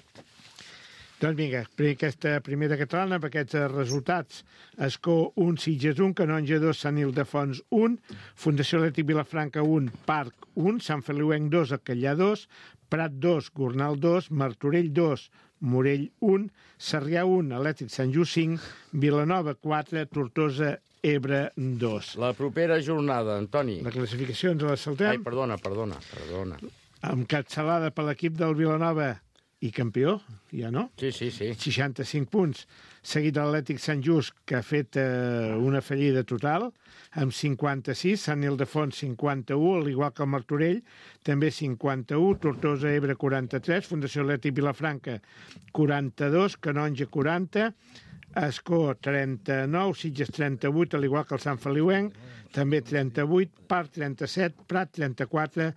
Doncs vinga, aquesta primera catalana, amb aquests resultats: Escó un, Sitges un, Canonja dos, Sant Ildefons un, Fundació Atlètic Vilafranca un, Parc un, Sant Feliuenc dos, Alcallà dos, Prat dos, Gornal dos, Martorell dos, Morell un, Sarrià un, Atlètic Sant Just cinc, Vilanova quatre, Tortosa, Ebre dos. La propera jornada, Antoni. La classificació ens la saltem. Ai, perdona, perdona, perdona. Encapçalada per l'equip del Vilanova i campió, ja no? Sí, sí, sí. seixanta-cinc punts. Seguit de l'Atlètic Sant Just, que ha fet eh, una fallida total, amb cinquanta-sis, Sant Ildefons cinquanta-u, al igual que el Martorell, també cinquanta-u, Tortosa, Ebre quaranta-tres, Fundació Atlètic Vilafranca quaranta-dos, Canonja quaranta, Escó trenta-nou, Sitges trenta-vuit, al igual que el Sant Feliuenc, també trenta-vuit, Parc trenta-set, Prat trenta-quatre,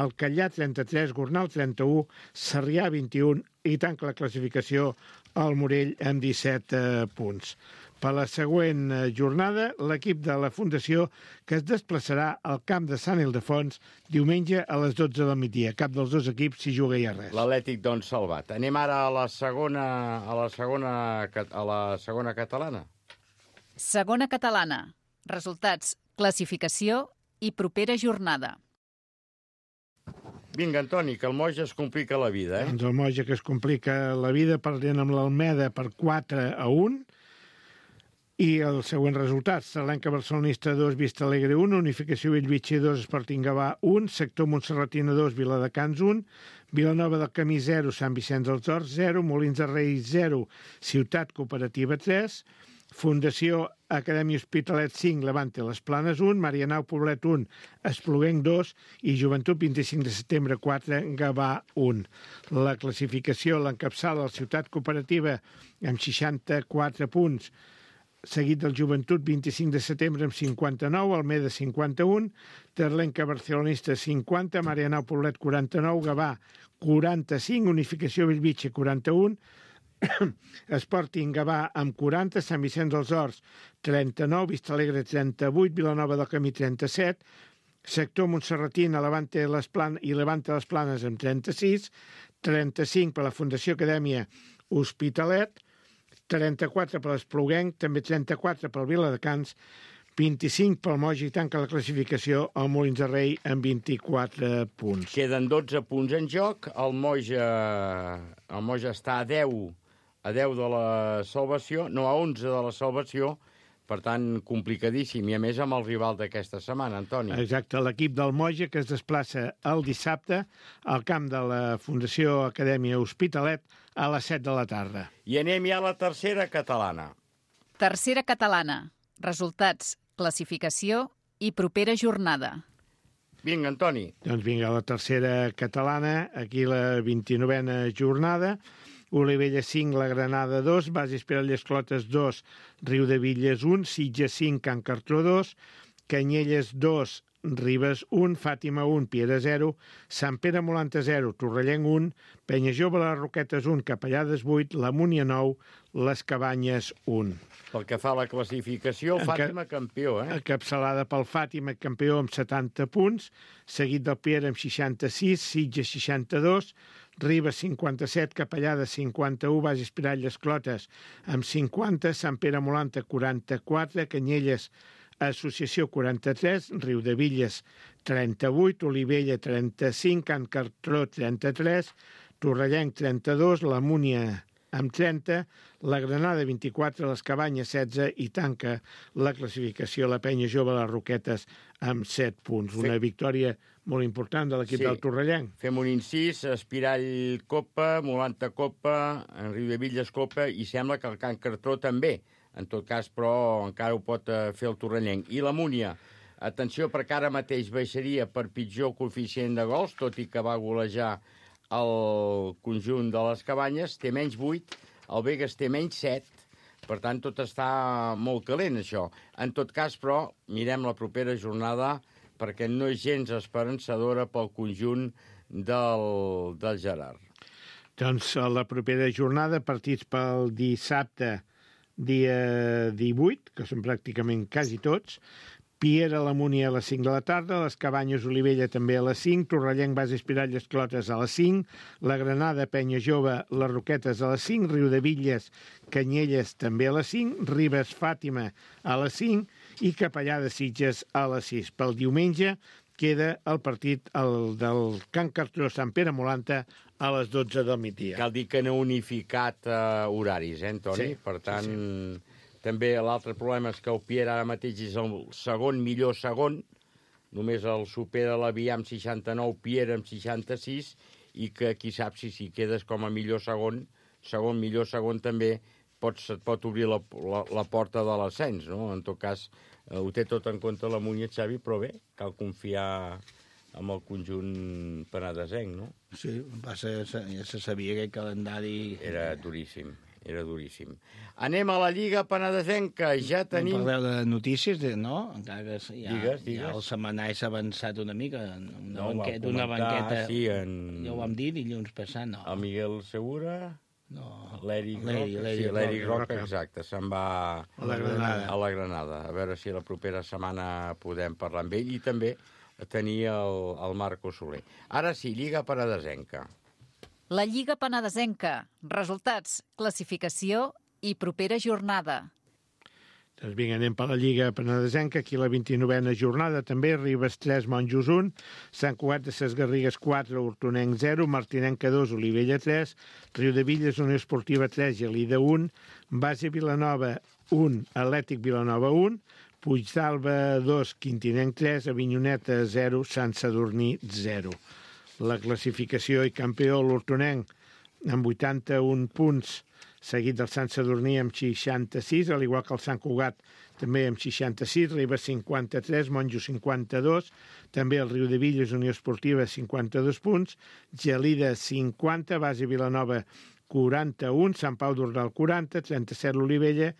Alcallà trenta-tres, Gornal trenta-u, Sarrià vint-i-un i tanca la classificació al Morell amb disset eh, punts. Per la següent jornada, l'equip de la Fundació que es desplaçarà al camp de Sant Ildefons diumenge a les dotze del migdia. Cap dels dos equips s'hi juga ja res. L'Atlètic, doncs, salvat. Anem ara a la segona, a la segona, a la segona catalana. Segona catalana. Resultats, classificació i propera jornada. Vinga, Antoni, que el Moja es complica la vida, eh? Doncs el Moja que es complica la vida perdent amb l'Almeda per quatre a un. I els següents resultats: Salenca Barcelonista dos, Vista Alegre un, Unificació Bellvitge dos, Sporting Gavà un, Sector Montserratina dos, Viladecans un, Vilanova del Camí zero, Sant Vicenç dels Horts zero, Molins de Rei zero, Ciutat Cooperativa tres, Fundació Acadèmia Hospitalet cinc, Levante Les Planes un, Marianao Poblet un, Espluguenc dos i Joventut vint-i-cinc de setembre quatre, Gavà un. La classificació l'encapçala la Ciutat Cooperativa amb seixanta-quatre punts, seguit del Joventut vint-i-cinc de setembre amb cinquanta-nou, Almeda cinquanta-un, Terlenca Barcelonista cinquanta, Marianao Poblet quaranta-nou, Gavà quaranta-cinc, Unificació Bellvitge quaranta-un, Sporting Gavà amb quaranta, Sant Vicenç dels Horts trenta-nou, Vista Alegre trenta-vuit, Vilanova del Camí trenta-set, Sector Montserratina Levante les Planes i Levante les Planes amb trenta-sis, trenta-cinc per la Fundació Acadèmia Hospitalet, trenta-quatre per l'Espluguenc, també trenta-quatre pel Viladecans, vint-i-cinc pel Moja i tanca la classificació al Molins de Rei amb vint-i-quatre punts. Queden dotze punts en joc, el Moja, el Moja està a deu, a deu de la salvació, no, a onze de la salvació, per tant, complicadíssim, i a més amb el rival d'aquesta setmana, Antoni. Exacte, l'equip del Moja que es desplaça el dissabte al camp de la Fundació Acadèmia Hospitalet a les set de la tarda. I anem ja a la tercera catalana. Tercera catalana. Resultats, classificació i propera jornada. Vinga, Antoni. Doncs vinga, la tercera catalana, aquí la vint-i-novena jornada. Olivella cinc, la Granada dos, Bases Perelles Clotes dos, Riudevilles un, Sitges cinc, Can Cartró dos, Canyelles dos, Ribes un, Fàtima un, Piera zero, Sant Pere Molanta zero, Torrellenc un, Penya Jove les Roquetes un, Capellades vuit, la Múnia nou, les Cabanyes un. Pel que fa a la classificació, Fàtima campió, eh? Encapçalada pel Fàtima, campió amb setanta punts, seguit del Piera amb seixanta-sis, Sitges seixanta-dos, Ribes cinquanta-set, Capellades cinquanta-u, Bages Piralles Clotes amb cinquanta, Sant Pere Molanta quaranta-quatre, Canyelles Associació quaranta-tres, Riudevilles trenta-vuit, Olivella trenta-cinc, Can Cartró trenta-tres, Torrellenc trenta-dos, la Múnia amb trenta, la Granada vint-i-quatre, les Cabanyes setze i tanca la classificació la Penya Jove, les Roquetes, amb set punts. Una Sí. victòria molt important de l'equip Sí. del Torrellenc. Fem un incís, Espirall Copa, Molanta Copa, Riudevilles Copa, i sembla que el Can Cartró també. En tot cas, però, encara ho pot eh, fer el Torrellenc. I la Múnia, atenció, perquè ara mateix baixaria per pitjor coeficient de gols, tot i que va golejar el conjunt de les Cabanyes, té menys vuit, el Begues té menys set, per tant, tot està molt calent, això. En tot cas, però, mirem la propera jornada, perquè no és gens esperançadora pel conjunt del, del Gerard. Doncs a la propera jornada, partits pel dissabte, dia divuit, que són pràcticament quasi tots, Piera, la Múnia a les cinc de la tarda, les Cabanyes, Olivella també a les cinc, Torrellenc, Bas, Espiralles, Clotes a les cinc, la Granada, Penya Jove, les Roquetes a les cinc, Riudevilles, Canyelles també a les cinc, Ribes, Fàtima a les cinc i Capellà de Sitges a les sis. Pel diumenge queda el partit el del Can Cartró Sant Pere Molanta a les dotze del migdia. Cal dir que no ha unificat uh, horaris, eh, Antoni? Sí, per tant, sí, sí. També l'altre problema és que el Piera ara mateix és el segon millor segon, només el supera l'Avià amb seixanta-nou, Piera amb seixanta-sis, i que qui sap si si quedes com a millor segon, segon millor segon també, pots, et pot obrir la, la, la porta de l'ascens, no? En tot cas, eh, ho té tot en compte la Múnia, Xavi, però bé, cal confiar amb el conjunt penedesenc, no? Sí, passa, ja se sabia que el calendari... Era duríssim. Era duríssim. Anem a la Lliga Penedesenca. Ja tenim... No parleu de notícies, de, no? Encara que ja, digues, digues. ja el setmanari s'ha avançat una mica. Una, No, banqueta, va una comentar, banqueta... sí, en... Ja ho vam dir dilluns passat, no. El Miguel Segura... No. L'Eric L'Eri- Roca, l'Eri sí, l'Eric Roca. Roca, exacte, se'n va A la Granada. a la Granada. A veure si la propera setmana podem parlar amb ell i també tenir el, el Marco Soler. Ara sí, Lliga Penedesenca. La Lliga Penedesenca. Resultats, classificació i propera jornada. Doncs vinga, anem per la Lliga Penedesenca, aquí la vint-i-novena jornada també, Ribes tres, Monjos un, Sant Cugat de Ses Garrigues quatre, Hortonenc zero, Martinenca dos, Olivella tres, Riudevilles, Unió Esportiva tres, Gelida un, Base Vilanova un, Atlètic Vilanova un, Puigdàlber dos, Quintinenc tres, Avinyoneta zero, Sant Sadurní zero. La classificació i campió l'Hortonenc amb vuitanta-un punts, seguit del Sant Sadurní amb seixanta-sis, al igual que el Sant Cugat també amb seixanta-sis, Ribes cinquanta-tres, Monjo cinquanta-dos, també el Riudevilles, Unió Esportiva cinquanta-dos punts, Gelida cinquanta, Base Vilanova quaranta-un, Sant Pau d'Ordal quaranta, trenta-set l'Olivella,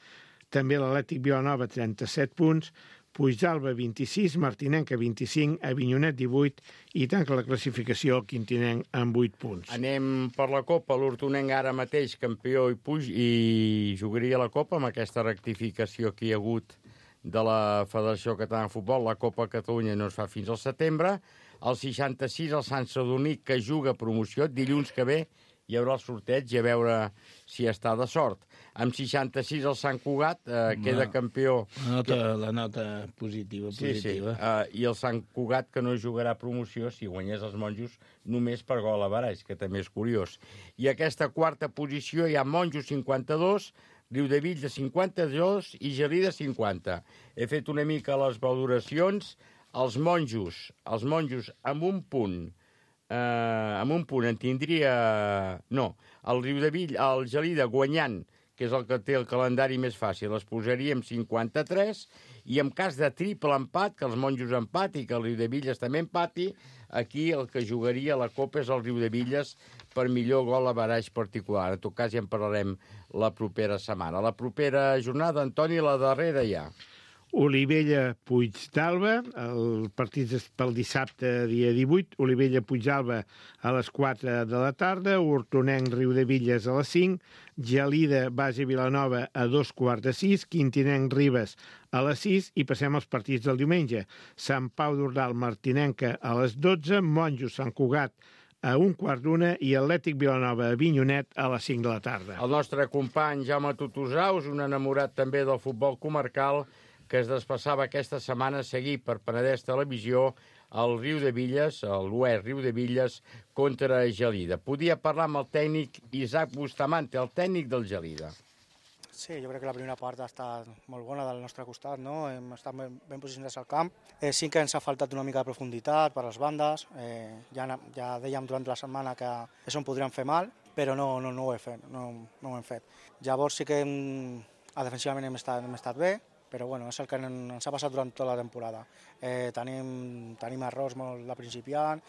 també l'Atlètic Vilanova trenta-set punts, Puigdàlber vint-i-sis, Martinenca vint-i-cinc, Avinyonet divuit i tanca la classificació el Quintinenc amb vuit punts. Anem per la Copa, l'Hortonenc ara mateix campió i, puig, i jugaria la Copa amb aquesta rectificació que hi ha hagut de la Federació Catalana de Futbol. La Copa Catalunya no es fa fins al setembre. El seixanta-sis, el Sant Sadurní, que juga promoció, dilluns que ve hi haurà el sorteig i a veure si està de sort. Amb seixanta-sis el Sant Cugat eh, queda No. campió. La nota, la nota positiva, Sí, sí. positiva. Uh, I el Sant Cugat, que no jugarà promoció si guanyés els Monjos només per gol a baralls, que també és curiós. I aquesta quarta posició hi ha Monjos cinquanta-dos, Riudevilles cinquanta-dos i Gelida cinquanta. He fet una mica les valoracions. Els Monjos, els Monjos amb un punt, eh, amb un punt en tindria... No, el Riudevill, el Gelida guanyant, que és el que té el calendari més fàcil, es posaria amb cinquanta-tres, i en cas de triple empat, que els Monjos empati, que el Riudevilles també empati, aquí el que jugaria la Copa és el Riudevilles per millor gol a baraix particular. En tot cas ja en parlarem la propera setmana. La propera jornada, Antoni, la darrera ja. Olivella Puigdàlber, el partit és pel dissabte dia divuit, Olivella Puigdàlber a les quatre de la tarda, Hortonenc Riudevilles a les cinc, Gelida Base Vilanova a dos quarts de sis, Quintinenc Ribes a les sis i passem als partits del diumenge. Sant Pau d'Ordal Martinenca a les dotze, Monjos Sant Cugat a un quart d'una i Atlètic Vilanova Avinyonet a les cinc de la tarda. El nostre company Jaume Tutusaus, un enamorat també del futbol comarcal, que es desplaçava aquesta setmana a seguir per Penedès Televisió el Riu de Villes, l'U E Riu de Villes, contra Gelida. Podia parlar amb el tècnic Isaac Bustamante, el tècnic del Gelida. Sí, jo crec que la primera part ha estat molt bona del nostre costat, no? Hem estat ben, ben posicionats al camp. Eh, sí que ens ha faltat una mica de profunditat per les bandes. Eh, ja, ja dèiem durant la setmana que això en podríem fer mal, però no, no, no ho he fet, no, no ho hem fet. Llavors sí que hem, defensivament hem estat, hem estat bé, però bueno, és el que ens ha passat durant tota la temporada. Eh, tenim, tenim errors molt de principiant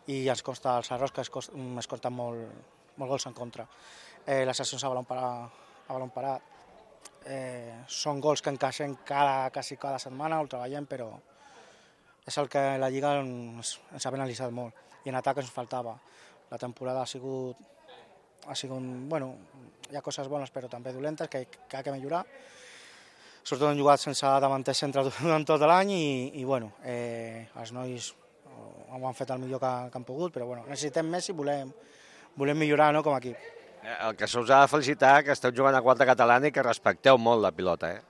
i ens costa els errors que es, cost, es costen molt, molt gols en contra. Eh, les accions a balon parat a balon parat. Eh, són gols que encaixem cada, quasi cada setmana, ho treballem, però és el que la Lliga ens, ens ha penalitzat molt. I en atac ens faltava. La temporada ha sigut, ha sigut, bueno, hi ha coses bones però també dolentes que, que ha de millorar. Sobretot hem jugat sense davanter centre durant tot l'any i, i bueno, eh, els nois ho han fet el millor que, que han pogut, però bueno, necessitem més i volem, volem millorar, no, com a equip. El que se us ha de felicitar que esteu jugant a quarta catalana i que respecteu molt la pilota, eh?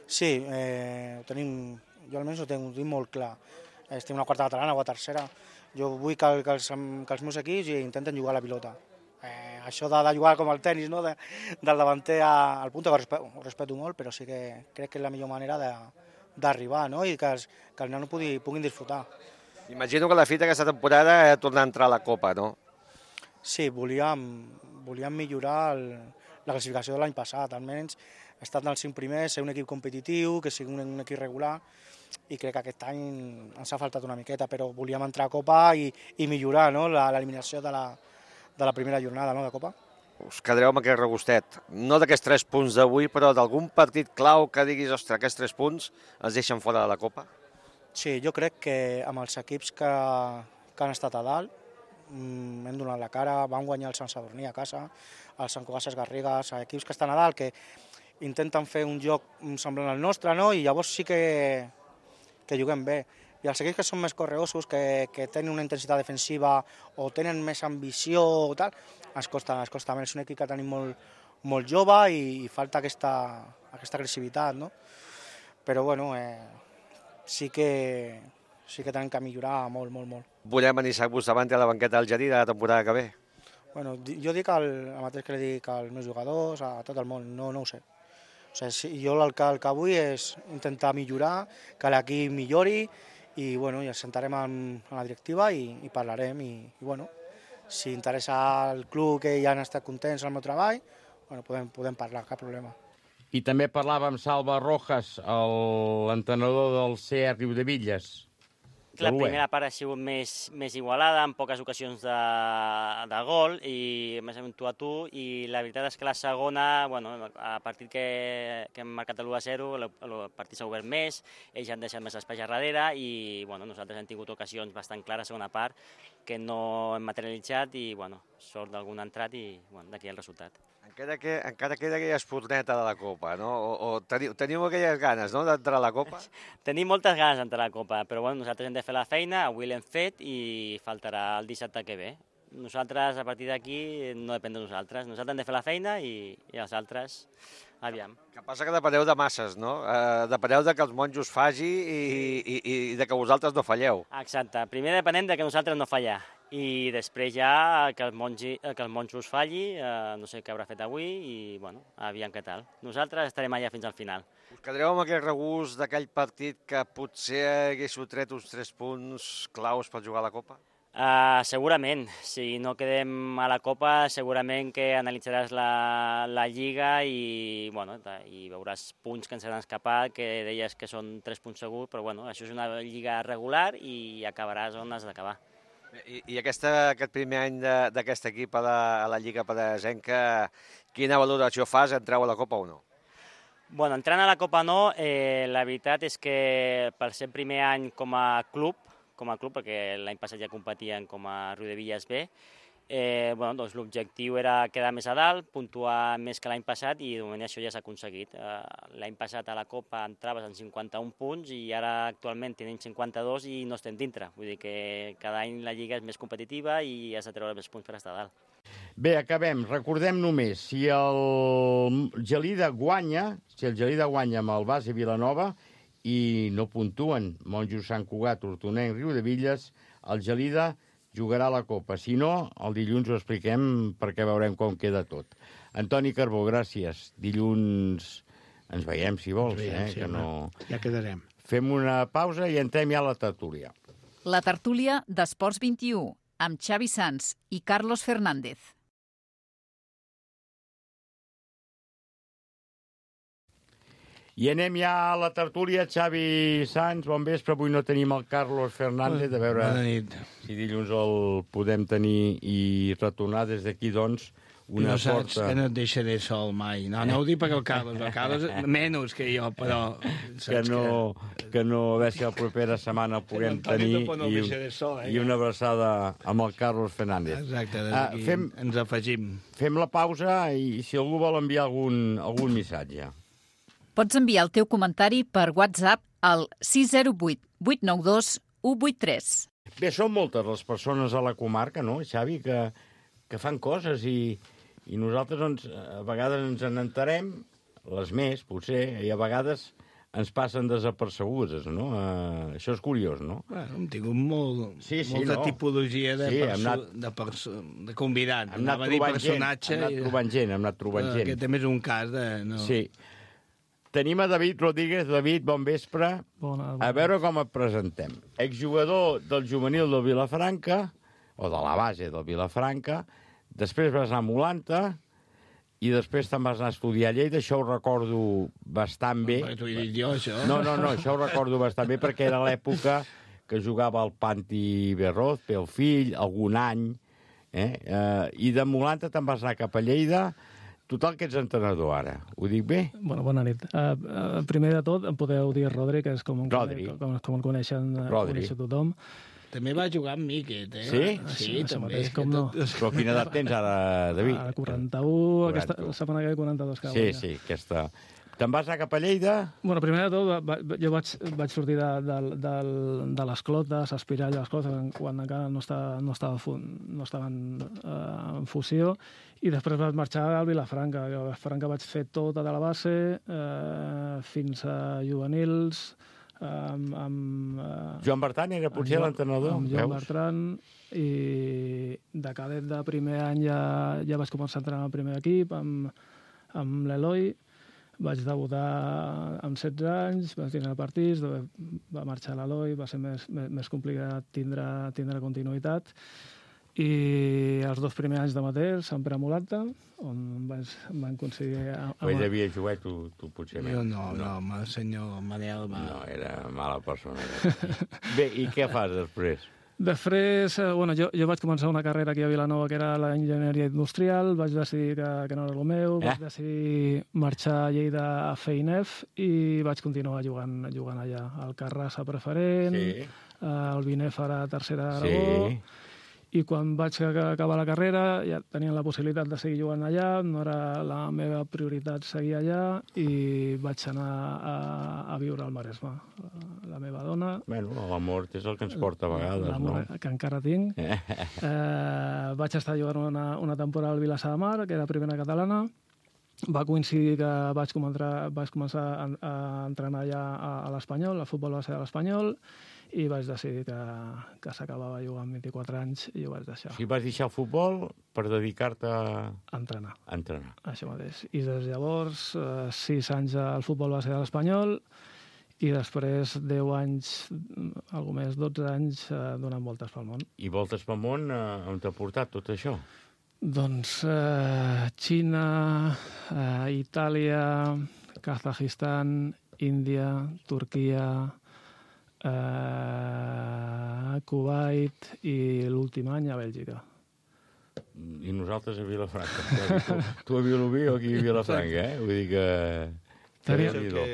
Sí, eh, ho tenim, jo almenys ho tinc, ho tinc molt clar. Estem una quarta catalana o a tercera. Jo vull que, que, els, que els meus equips intenten jugar a la pilota. Eh, això de, de jugar com el tennis, no? de, del davanter al punt, que ho respeto, ho respeto molt, però sí que crec que és la millor manera d'arribar, no? I que els, que els nanos pugui, puguin disfrutar. Imagino que la fita aquesta temporada és tornar a entrar a la Copa, no? Sí, volíem, volíem millorar el, la classificació de l'any passat, almenys estar en els cinc primers, ser un equip competitiu, que sigui un, un equip regular, i crec que aquest any ens ha faltat una miqueta, però volíem entrar a Copa i, i millorar, no? l'eliminació de, la, de la primera jornada, no? de Copa. Us quedareu amb aquest regustet, no d'aquests tres punts d'avui, però d'algun partit clau que diguis, ostres, aquests tres punts ens deixen fora de la Copa? Sí, jo crec que amb els equips que, que han estat a dalt, hem donat la cara, vam guanyar el Sant Sadurní a casa, el Sant Cugat Garrigues, equips que estan a dalt, que intenten fer un joc semblant al nostre, no? I llavors sí que, que juguem bé. I els equips que són més correosos, que, que tenen una intensitat defensiva o tenen més ambició o tal, ens costa, ens costa més. És un equip que tenim molt, molt jove i, i falta aquesta, aquesta agressivitat, no? Però bueno, eh, sí que... sí que tenen que millorar molt, molt, molt. Volem en Isaac Bustamante a la banqueta del Gelida la temporada que ve? Bueno, jo dic el, el mateix que li dic als meus jugadors, a tot el món, no, no ho sé. O sigui, si, jo el que, el que vull és intentar millorar, que l'equip millori, i bueno, ja ens sentarem en, en la directiva i, i parlarem, i, i bueno, si interessa al club que ja han estat contents al meu treball, bueno, podem, podem parlar, cap problema. I també parlava amb Salva Rojas, l'entrenador del C E Riu de Villes. La primera part ha sigut més, més igualada, amb poques ocasions de, de gol, i més o menys tu a tu, i la veritat és que la segona, bueno, a partir que, que hem marcat l'u a zero, el, el partit s'ha obert més, ells han deixat més espai a darrere, i bueno, nosaltres hem tingut ocasions bastant clares a segona part, que no hem materialitzat, i bueno, sort d'algun entrat, i bueno, d'aquí el resultat. Encara, que, encara queda aquella esporneta de la Copa, no? O, o teniu, teniu aquelles ganes, no?, d'entrar a la Copa? Tenim moltes ganes d'entrar a la Copa, però bueno, nosaltres hem de fer la feina, avui l'hem fet i faltarà el dissabte que ve. Nosaltres, a partir d'aquí, no depèn de nosaltres. Nosaltres hem de fer la feina i, i els altres, aviam. Que passa que depeneu de masses, no? Eh, depeneu de que els monjos faci i, i, i de que vosaltres no falleu. Exacte. Primer depenem de que nosaltres no fallar. I després ja que el, mongi, que el monjos falli, eh, no sé què haurà fet avui, i bueno, aviam què tal. Nosaltres estarem allà fins al final. Us quedareu amb aquell regust d'aquell partit que potser haguéssiu tret uns tres punts claus per jugar a la Copa? Uh, segurament. Si no quedem a la Copa, segurament que analitzaràs la, la Lliga i, bueno, i veuràs punts que ens han escapat, que deies que són tres punts segurs, però bueno, això és una Lliga regular i acabaràs on has d'acabar. I, i aquesta, aquest primer any d'aquest equip a la, a la Lliga Penedesenca, quina valoració fas? Entreu a la Copa o no? Bueno, entrant a la Copa no, eh, la veritat és que per ser primer any com a club, com a club, perquè l'any passat ja competien com a Riu de Villes B, eh, bueno, doncs l'objectiu era quedar més a dalt, puntuar més que l'any passat, i de moment això ja s'ha aconseguit. Eh, l'any passat a la Copa entraves en cinquanta-un punts i ara actualment tenim cinquanta-dos i no estem dintre. Vull dir que cada any la Lliga és més competitiva i has de treure més punts per estar a dalt. Bé, acabem. Recordem només, si el Gelida guanya, si el Gelida guanya amb el base Vilanova i no puntuen. Monjos Sant Cugat, Hortonenc, Riudevilles, el Gelida jugarà la Copa. Si no, el dilluns ho expliquem perquè veurem com queda tot. Antoni Carbó, gràcies. Dilluns ens veiem, si vols. Veiem, eh? sí, que no... Ja quedarem. Fem una pausa i entrem ja a la tertúlia. La tertúlia d'Esports vint-i-u, amb Xavi Sans i Carlos Fernández. I anem ja a la tertúlia. Xavi Sans, bon vespre. Avui no tenim el Carlos Fernández. A veure si dilluns el podem tenir i retornar des d'aquí, doncs, una no saps forta... que no et deixaré sol mai. No, no ho dic perquè el Carlos, el Carlos menys que jo, però... Que no, que no, a veure si la propera setmana el puguem tenir no i, sol, eh, i una abraçada amb el Carlos Fernández. Exacte, uh, fem, ens afegim. Fem la pausa i si algú vol enviar algun, algun missatge. Pots enviar el teu comentari per WhatsApp al sis zero vuit vuit nou dos u vuit tres. Bé, són moltes les persones a la comarca, no, Xavi, que, que fan coses i, i nosaltres doncs, a vegades ens en enterem, les més, potser, i a vegades ens passen desapercebudes, no? Uh, això és curiós, no? Bueno, hem tingut molt, sí, sí, molta no. tipologia de, sí, perso anat, de, perso de convidat. Hem anat trobant gent, hem anat trobant gent, hem anat trobant gent. Aquest també és un cas de... No. Sí. Tenim a David Rodríguez. David, bon vespre. Bona, bona. A veure com et presentem. Exjugador del juvenil del Vilafranca, o de la base del Vilafranca, després vas anar a Molanta i després te'n vas anar a estudiar a Lleida. Això ho recordo bastant bé. No, t'ho he dit jo, això. No, no, no, això ho recordo bastant bé perquè era l'època que jugava al Panti Berroz, pel fill, algun any, eh? Uh, i de Molanta te'n vas anar cap a Lleida. Total, que ets entrenador ara. Ho dic bé? Bueno, bona nit. Uh, uh, primer de tot, em podeu dir Rodri, que és com, Rodri. com, com el coneixen, Rodri. coneix tothom. També va jugar amb mi, aquest, eh? Sí? Sí, sí també. Mateix, com no. Però quina edat tens ara, David? Ara quaranta-u, aquesta setmana que ve quaranta-dos. Sí, sí, aquesta... Te'n vas anar cap a Lleida? Bueno, primer de tot, va, jo vaig, vaig sortir de, de, de, de les clotes, aspirar a les clotes, quan encara no estava, no estava, no estaven uh, en fusió, i després vaig marxar al Vilafranca. A Vilafranca vaig fer tota de la base, uh, fins a juvenils, amb... amb uh, Joan Bertran era potser l'entrenador? Amb Joan Bertran, i de cadet de primer any ja, ja vaig començar a entrenar al primer equip, amb, amb l'Eloi. Vaig debutar amb setze anys, vaig tindre partits, va marxar l'Eloi, va ser més, més, més complicat tindre, tindre continuïtat. I els dos primers anys de Mater, Sant Pere Molanta, on vaig, van aconseguir... Ell havia jugat, tu, tu potser... Jo no, no, no, el senyor Manel va... No, era mala persona. Bé, i què fas després? Després, bueno, jo, jo vaig començar una carrera aquí a Vilanova que era l'enginyeria industrial, vaig decidir que, que no era el meu, eh? Vaig decidir marxar a Lleida a fer I N E F i vaig continuar jugant, jugant allà. Al Carrassa preferent, sí. Al B I N E F ara tercera d'Aragó, sí. I quan vaig acabar la carrera ja tenien la possibilitat de seguir jugant allà, no era la meva prioritat seguir allà i vaig anar a, a viure al Maresme. La meva dona... Bueno, l'amor és el que ens porta a vegades, no? L'amor que encara tinc. eh, vaig estar jugant una, una temporada al Vilassar de Mar, que era primera catalana. Va coincidir que vaig començar, vaig començar a, a entrenar ja a, a l'Espanyol, el futbol va ser a l'Espanyol, i vaig decidir que, que s'acabava jugant amb vint-i-quatre anys i ho vaig deixar. O sigui, vas deixar el futbol per dedicar-te a... A entrenar. A entrenar. Això mateix. I des de llavors, eh, sis anys al futbol va ser a l'Espanyol i després deu anys, algo més, dotze anys, eh, donant voltes pel món. I voltes pel món, eh, on t'ha portat tot això? Doncs eh, Xina, eh, Itàlia, Kazajistan, Índia, Turquia... Uh, Kuwait i l'últim any a Bèlgica. I nosaltres a Vilafranca. tu, tu a Vilobí o aquí a Vilafranca, eh? Vull dir que... Tenia que...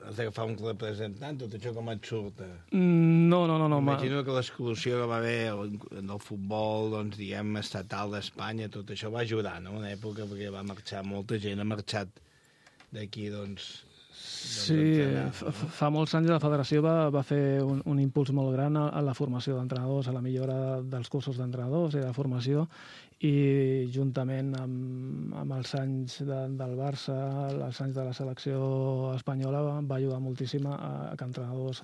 Has d'agafar un representant, tot això com et surt? No, no, no. no Imagino que l'exclusió que va haver en el futbol, doncs, diguem, estatal d'Espanya, tot això va ajudar, no?, en una època, perquè va marxar molta gent, ha marxat d'aquí, doncs, Sí, fa molts anys la federació va, va fer un, un impuls molt gran a, a la formació d'entrenadors, a la millora dels cursos d'entrenadors i de formació, i juntament amb, amb els anys de, del Barça, els anys de la selecció espanyola, va ajudar moltíssim a, a que entrenadors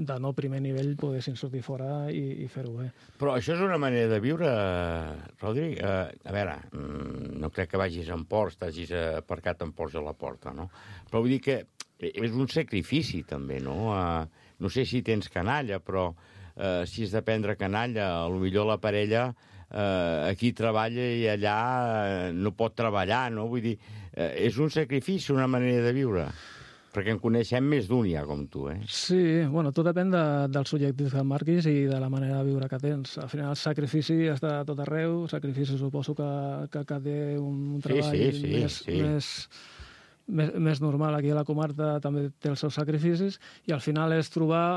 de no primer nivell poguessin sortir fora i, i fer-ho bé. Però això és una manera de viure, Rodri. Uh, a veure, no crec que vagis en Porsche, t'hagis aparcat en Porsche a la porta, no? Però vull dir que és un sacrifici, també, no? Uh, no sé si tens canalla, però uh, si has de prendre canalla, potser la parella uh, aquí treballa i allà uh, no pot treballar, no? Vull dir, uh, és un sacrifici, una manera de viure. Perquè en coneixem més d'un ja, com tu, eh? Sí, bueno, tot depèn de, dels objectius que marquis i de la manera de viure que tens. Al final, el sacrifici està a tot arreu, sacrifici suposo que, que, que té un treball sí, sí, sí, més, sí. més, més, més normal. Aquí a la comarca també té els seus sacrificis i al final és trobar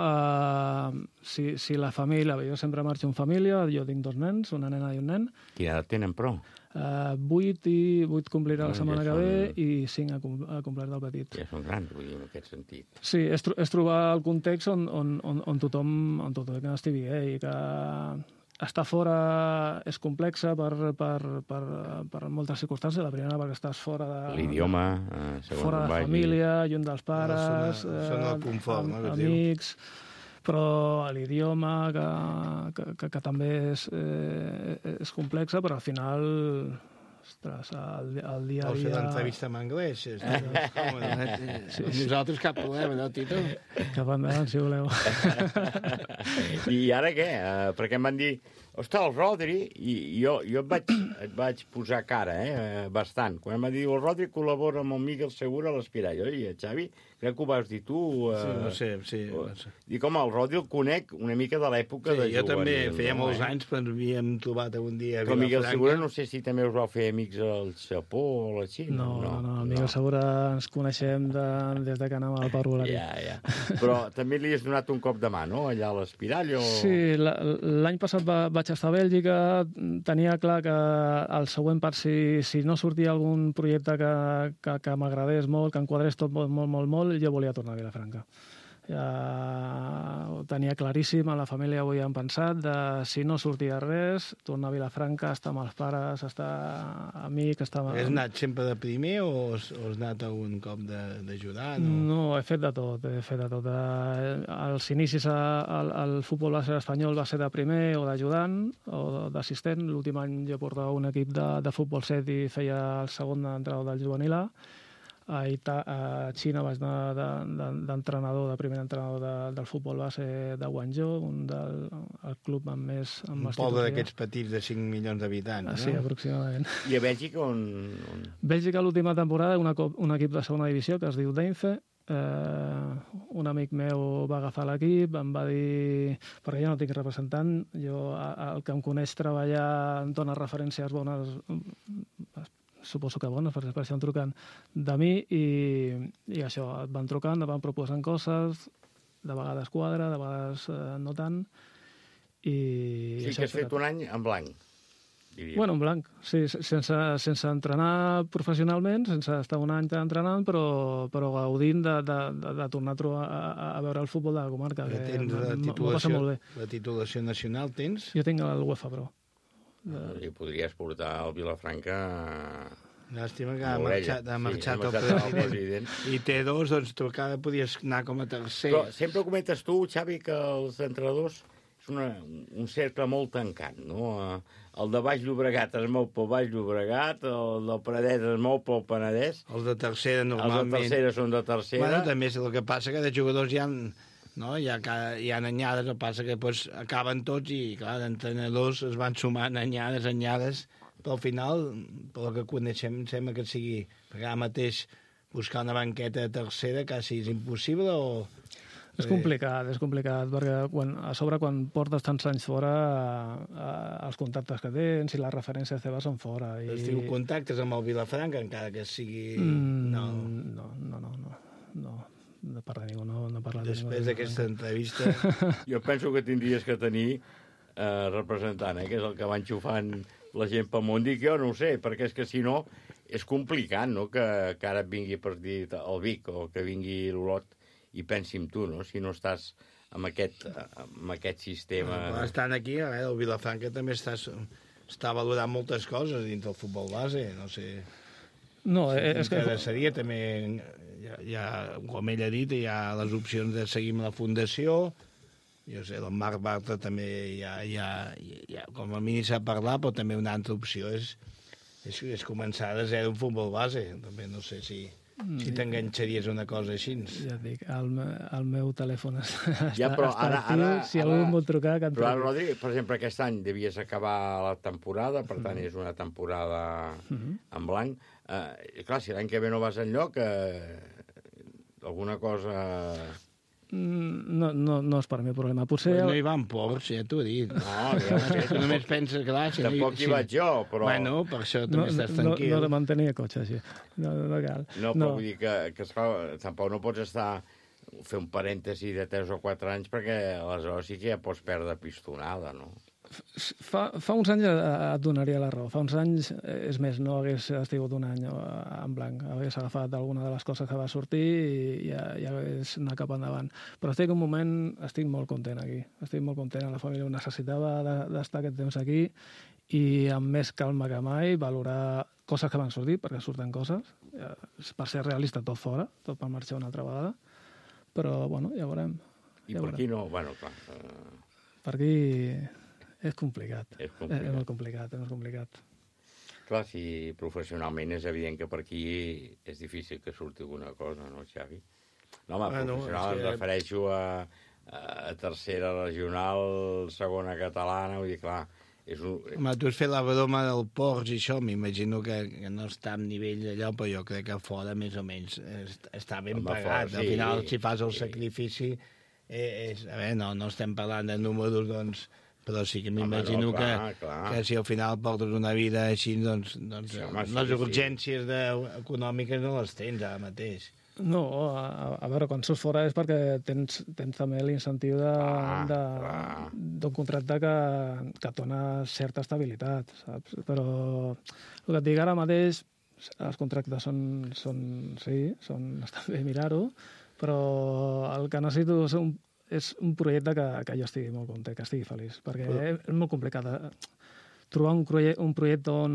eh, si, si la família... Jo sempre marxo en família, jo tinc dos nens, una nena i un nen. Quina edat tenen, però? Uh, vuit i vuit complirà la No, setmana ja que ve són- i cinc ha, com- ha complert el petit. Ja són grans, vull dir, en aquest sentit. Sí, és, tro és trobar el context on, on, on, on tothom on tothom estigui bé i que estar fora és complexa per, per, per, per moltes circumstàncies. La primera perquè estàs fora de... L'idioma, eh, segons fora on de vagi. família, lluny dels pares, No, zona- zona del confort, am- no, que es diu. amics, però l'idioma que, que, que, que també és, eh, és complexa, però al final, ostres, el, el dia a Vols fer dia... l'entrevista en anglès? És còmode, eh? Sí, sí. Nosaltres cap problema, no, Tito? Cap endavant, si voleu. I ara què? Uh, perquè em van dir, ostres, el Rodri, i jo, jo et, vaig, et vaig posar cara, eh, bastant. Quan em van dir, el Rodri col·labora amb el Miguel Segura a l'Espirall. Oi, Xavi, crec que ho vas dir tu. Uh, Sí, no sé, sí. Uh, I com el Rodri el conec una mica de l'època Sí, de jo juvenil. també, feia no, molts eh? anys, però ens havíem trobat un dia a Però Miguel Vilafranca. Segura no sé si també us vau fer amics al Japó o a la Xina. No, no, no, el Miguel Segura ens coneixem de, des de que anàvem al Parvul aquí. Ja, ja. Però també li has donat un cop de mà, no?, allà a l'Espirall, o... Sí, la- l'any passat va, vaig estar a Bèlgica, tenia clar que el següent part, si, si no sortia algun projecte que, que, que m'agradés molt, que enquadrés tot molt, molt, molt, molt, jo volia tornar a Vilafranca. Ja ho tenia claríssim, a la família ho havíem pensat, de si no sortia res, tornar a Vilafranca, estar amb els pares, estar amic, estar... amb- Has anat sempre de primer o has, o has anat algun cop de- d'ajudar? No? No, he fet de tot, he fet de tot. Eh, Als inicis al, al futbol base espanyol va ser de primer o d'ajudant o d'assistent. L'últim any jo portava un equip de, de futbol set i feia el segon entrenador del juvenil A. A, Ita a Xina vaig anar d'entrenador, de, de primer entrenador de, del futbol base de Guangzhou, un del el club amb més... Amb Un més poble títols. d'aquests petits de cinc milions d'habitants, Ah, no? sí, aproximadament. I a Bèlgica on... on... Bèlgica l'última temporada, una, co- un equip de segona divisió que es diu Deinze. Eh, un amic meu va agafar l'equip, em va dir... Perquè jo no tinc representant, jo, a- el que em coneix treballar em dona referències bones, suposo que bones, perquè per això em truquen de mi, i, i això, et van trucant, et van proposant coses, de vegades quadra, de vegades eh, no tant, i... Sí, això que has he fet un any en blanc, diria. Bueno, en blanc, sí, sense, sense entrenar professionalment, sense estar un any entrenant, però, però gaudint de, de, de, de tornar a, trobar, a, a veure el futbol de la comarca, Ja que tens la m'ho passa titulació, molt bé. la titulació nacional, tens? Jo tinc el UEFA Pro. I podries portar el Vilafranca... Llàstima que ha amb l'orella. marxat, ha Sí, marxat ha el marxat el president. president. I té dos, doncs tu encara podies anar com a tercer. Però sempre comentes tu, Xavi, que els entrenadors és una, un cercle molt tancat, no? El de Baix Llobregat es mou pel Baix Llobregat, el del Penedès es mou pel Penedès. Els de tercera normalment... Els de tercera són de tercera. Bueno, també és el que passa que de jugadors hi ha, no? hi ha, ca- hi ha anyades, el que passa que doncs, acaben tots i, clar, d'entrenadors es van sumant anyades, anyades, però al final, pel que coneixem, sembla que sigui, perquè ara mateix buscar una banqueta de tercera quasi és impossible o... És complicat, és complicat, perquè quan, a sobre quan portes tants anys fora, eh, els contactes que tens i les referències teves són fora. I... Es diu contactes amb el Vilafranca, encara que sigui... Mm, no. no, no, no, no, no, no parla ningú, no, no parla de ningú. Després d'aquesta entrevista... Jo penso que tindries que tenir eh, representant, eh, que és el que va enxufant la gent pel món. Dic, jo no ho sé, perquè és que si no és complicat, no?, que, que ara et vingui per dir el Vic o que vingui l'Olot i pensi en tu, no?, si no estàs amb aquest, amb aquest sistema... Bueno, estan aquí, a veure, el Vilafranca també està, està valorant moltes coses dins del futbol base, no sé... No, sí, és que... Seria també, ja, ja, com ell ha dit, hi ha les opcions de seguir amb la fundació, jo sé, el Marc Bartra també ja, ja, ja com a mínim sap parlar, però també una altra opció és, és, és començar de zero un futbol base, també no sé si... Si t'enganxaries una cosa així. Ja et dic, el, el meu telèfon està, ja, però està ara, actiu, ara, si algú em vol trucar... Que però ara, Rodri, per exemple, aquest any devies acabar la temporada, per tant, Mm. és una temporada Mhm. en blanc. Eh, clar, si l'any que ve no vas enlloc, eh, alguna cosa... No, no, no és per mi el problema. Potser... Pues no hi va en Porsche, ja t'ho he dit. No, ja ho sé. Tu només penses, clar... Si Tampoc hi vaig jo, però... Bueno, per això també no, estàs no, tranquil. No, no de mantenir cotxe, així. No, no, no cal. No, però vull dir que, que esclar, tampoc no pots estar fer un parèntesi de tres o quatre anys perquè aleshores sí que ja pots perdre pistonada, no? Fa, fa uns anys et donaria la raó. Fa uns anys, és més, no hagués estigut un any en blanc. Hagués agafat alguna de les coses que va sortir i ja, ja hagués anat cap endavant. Però estic un moment, estic molt content aquí. Estic molt content. La família ho necessitava d'estar aquest temps aquí i amb més calma que mai valorar coses que van sortir, perquè surten coses. Per ser realista, tot fora, tot per marxar una altra vegada. Però, bueno, ja veurem. I ja per veurem. aquí no? Bueno, clar. Uh... Per aquí... És complicat. És complicat. És molt complicat, és molt complicat. Clar, si professionalment és evident que per aquí és difícil que surti alguna cosa, no, Xavi? No, home, Bueno, professional és que- em refereixo a, a tercera regional, segona catalana, vull dir, clar, és un... Home, tu has fet la broma del Porsche i això, m'imagino que, que no està a nivell d'allò, però jo crec que fora més o menys est- està ben Home, pagat. fora, Al sí, final, si fas el sí. sacrifici, eh, és, a veure, no, no estem parlant de números, doncs, però sí que m'imagino no, clar, que, clar. que si al final portes una vida així, doncs, doncs Sí, home, sí, les sí. urgències de, econòmiques no les tens ara mateix. No, a, a veure, quan surts fora és perquè tens, tens també l'incentiu de- Ah, de- d'un contracte que, que et dona certa estabilitat, saps? Però el que et dic ara mateix, els contractes són, són sí, són, està bé mirar-ho, però el que necessito és un, és un projecte que, que jo estigui molt content, que estigui feliç, perquè Però- és molt complicat eh, trobar un, projecte, un projecte on,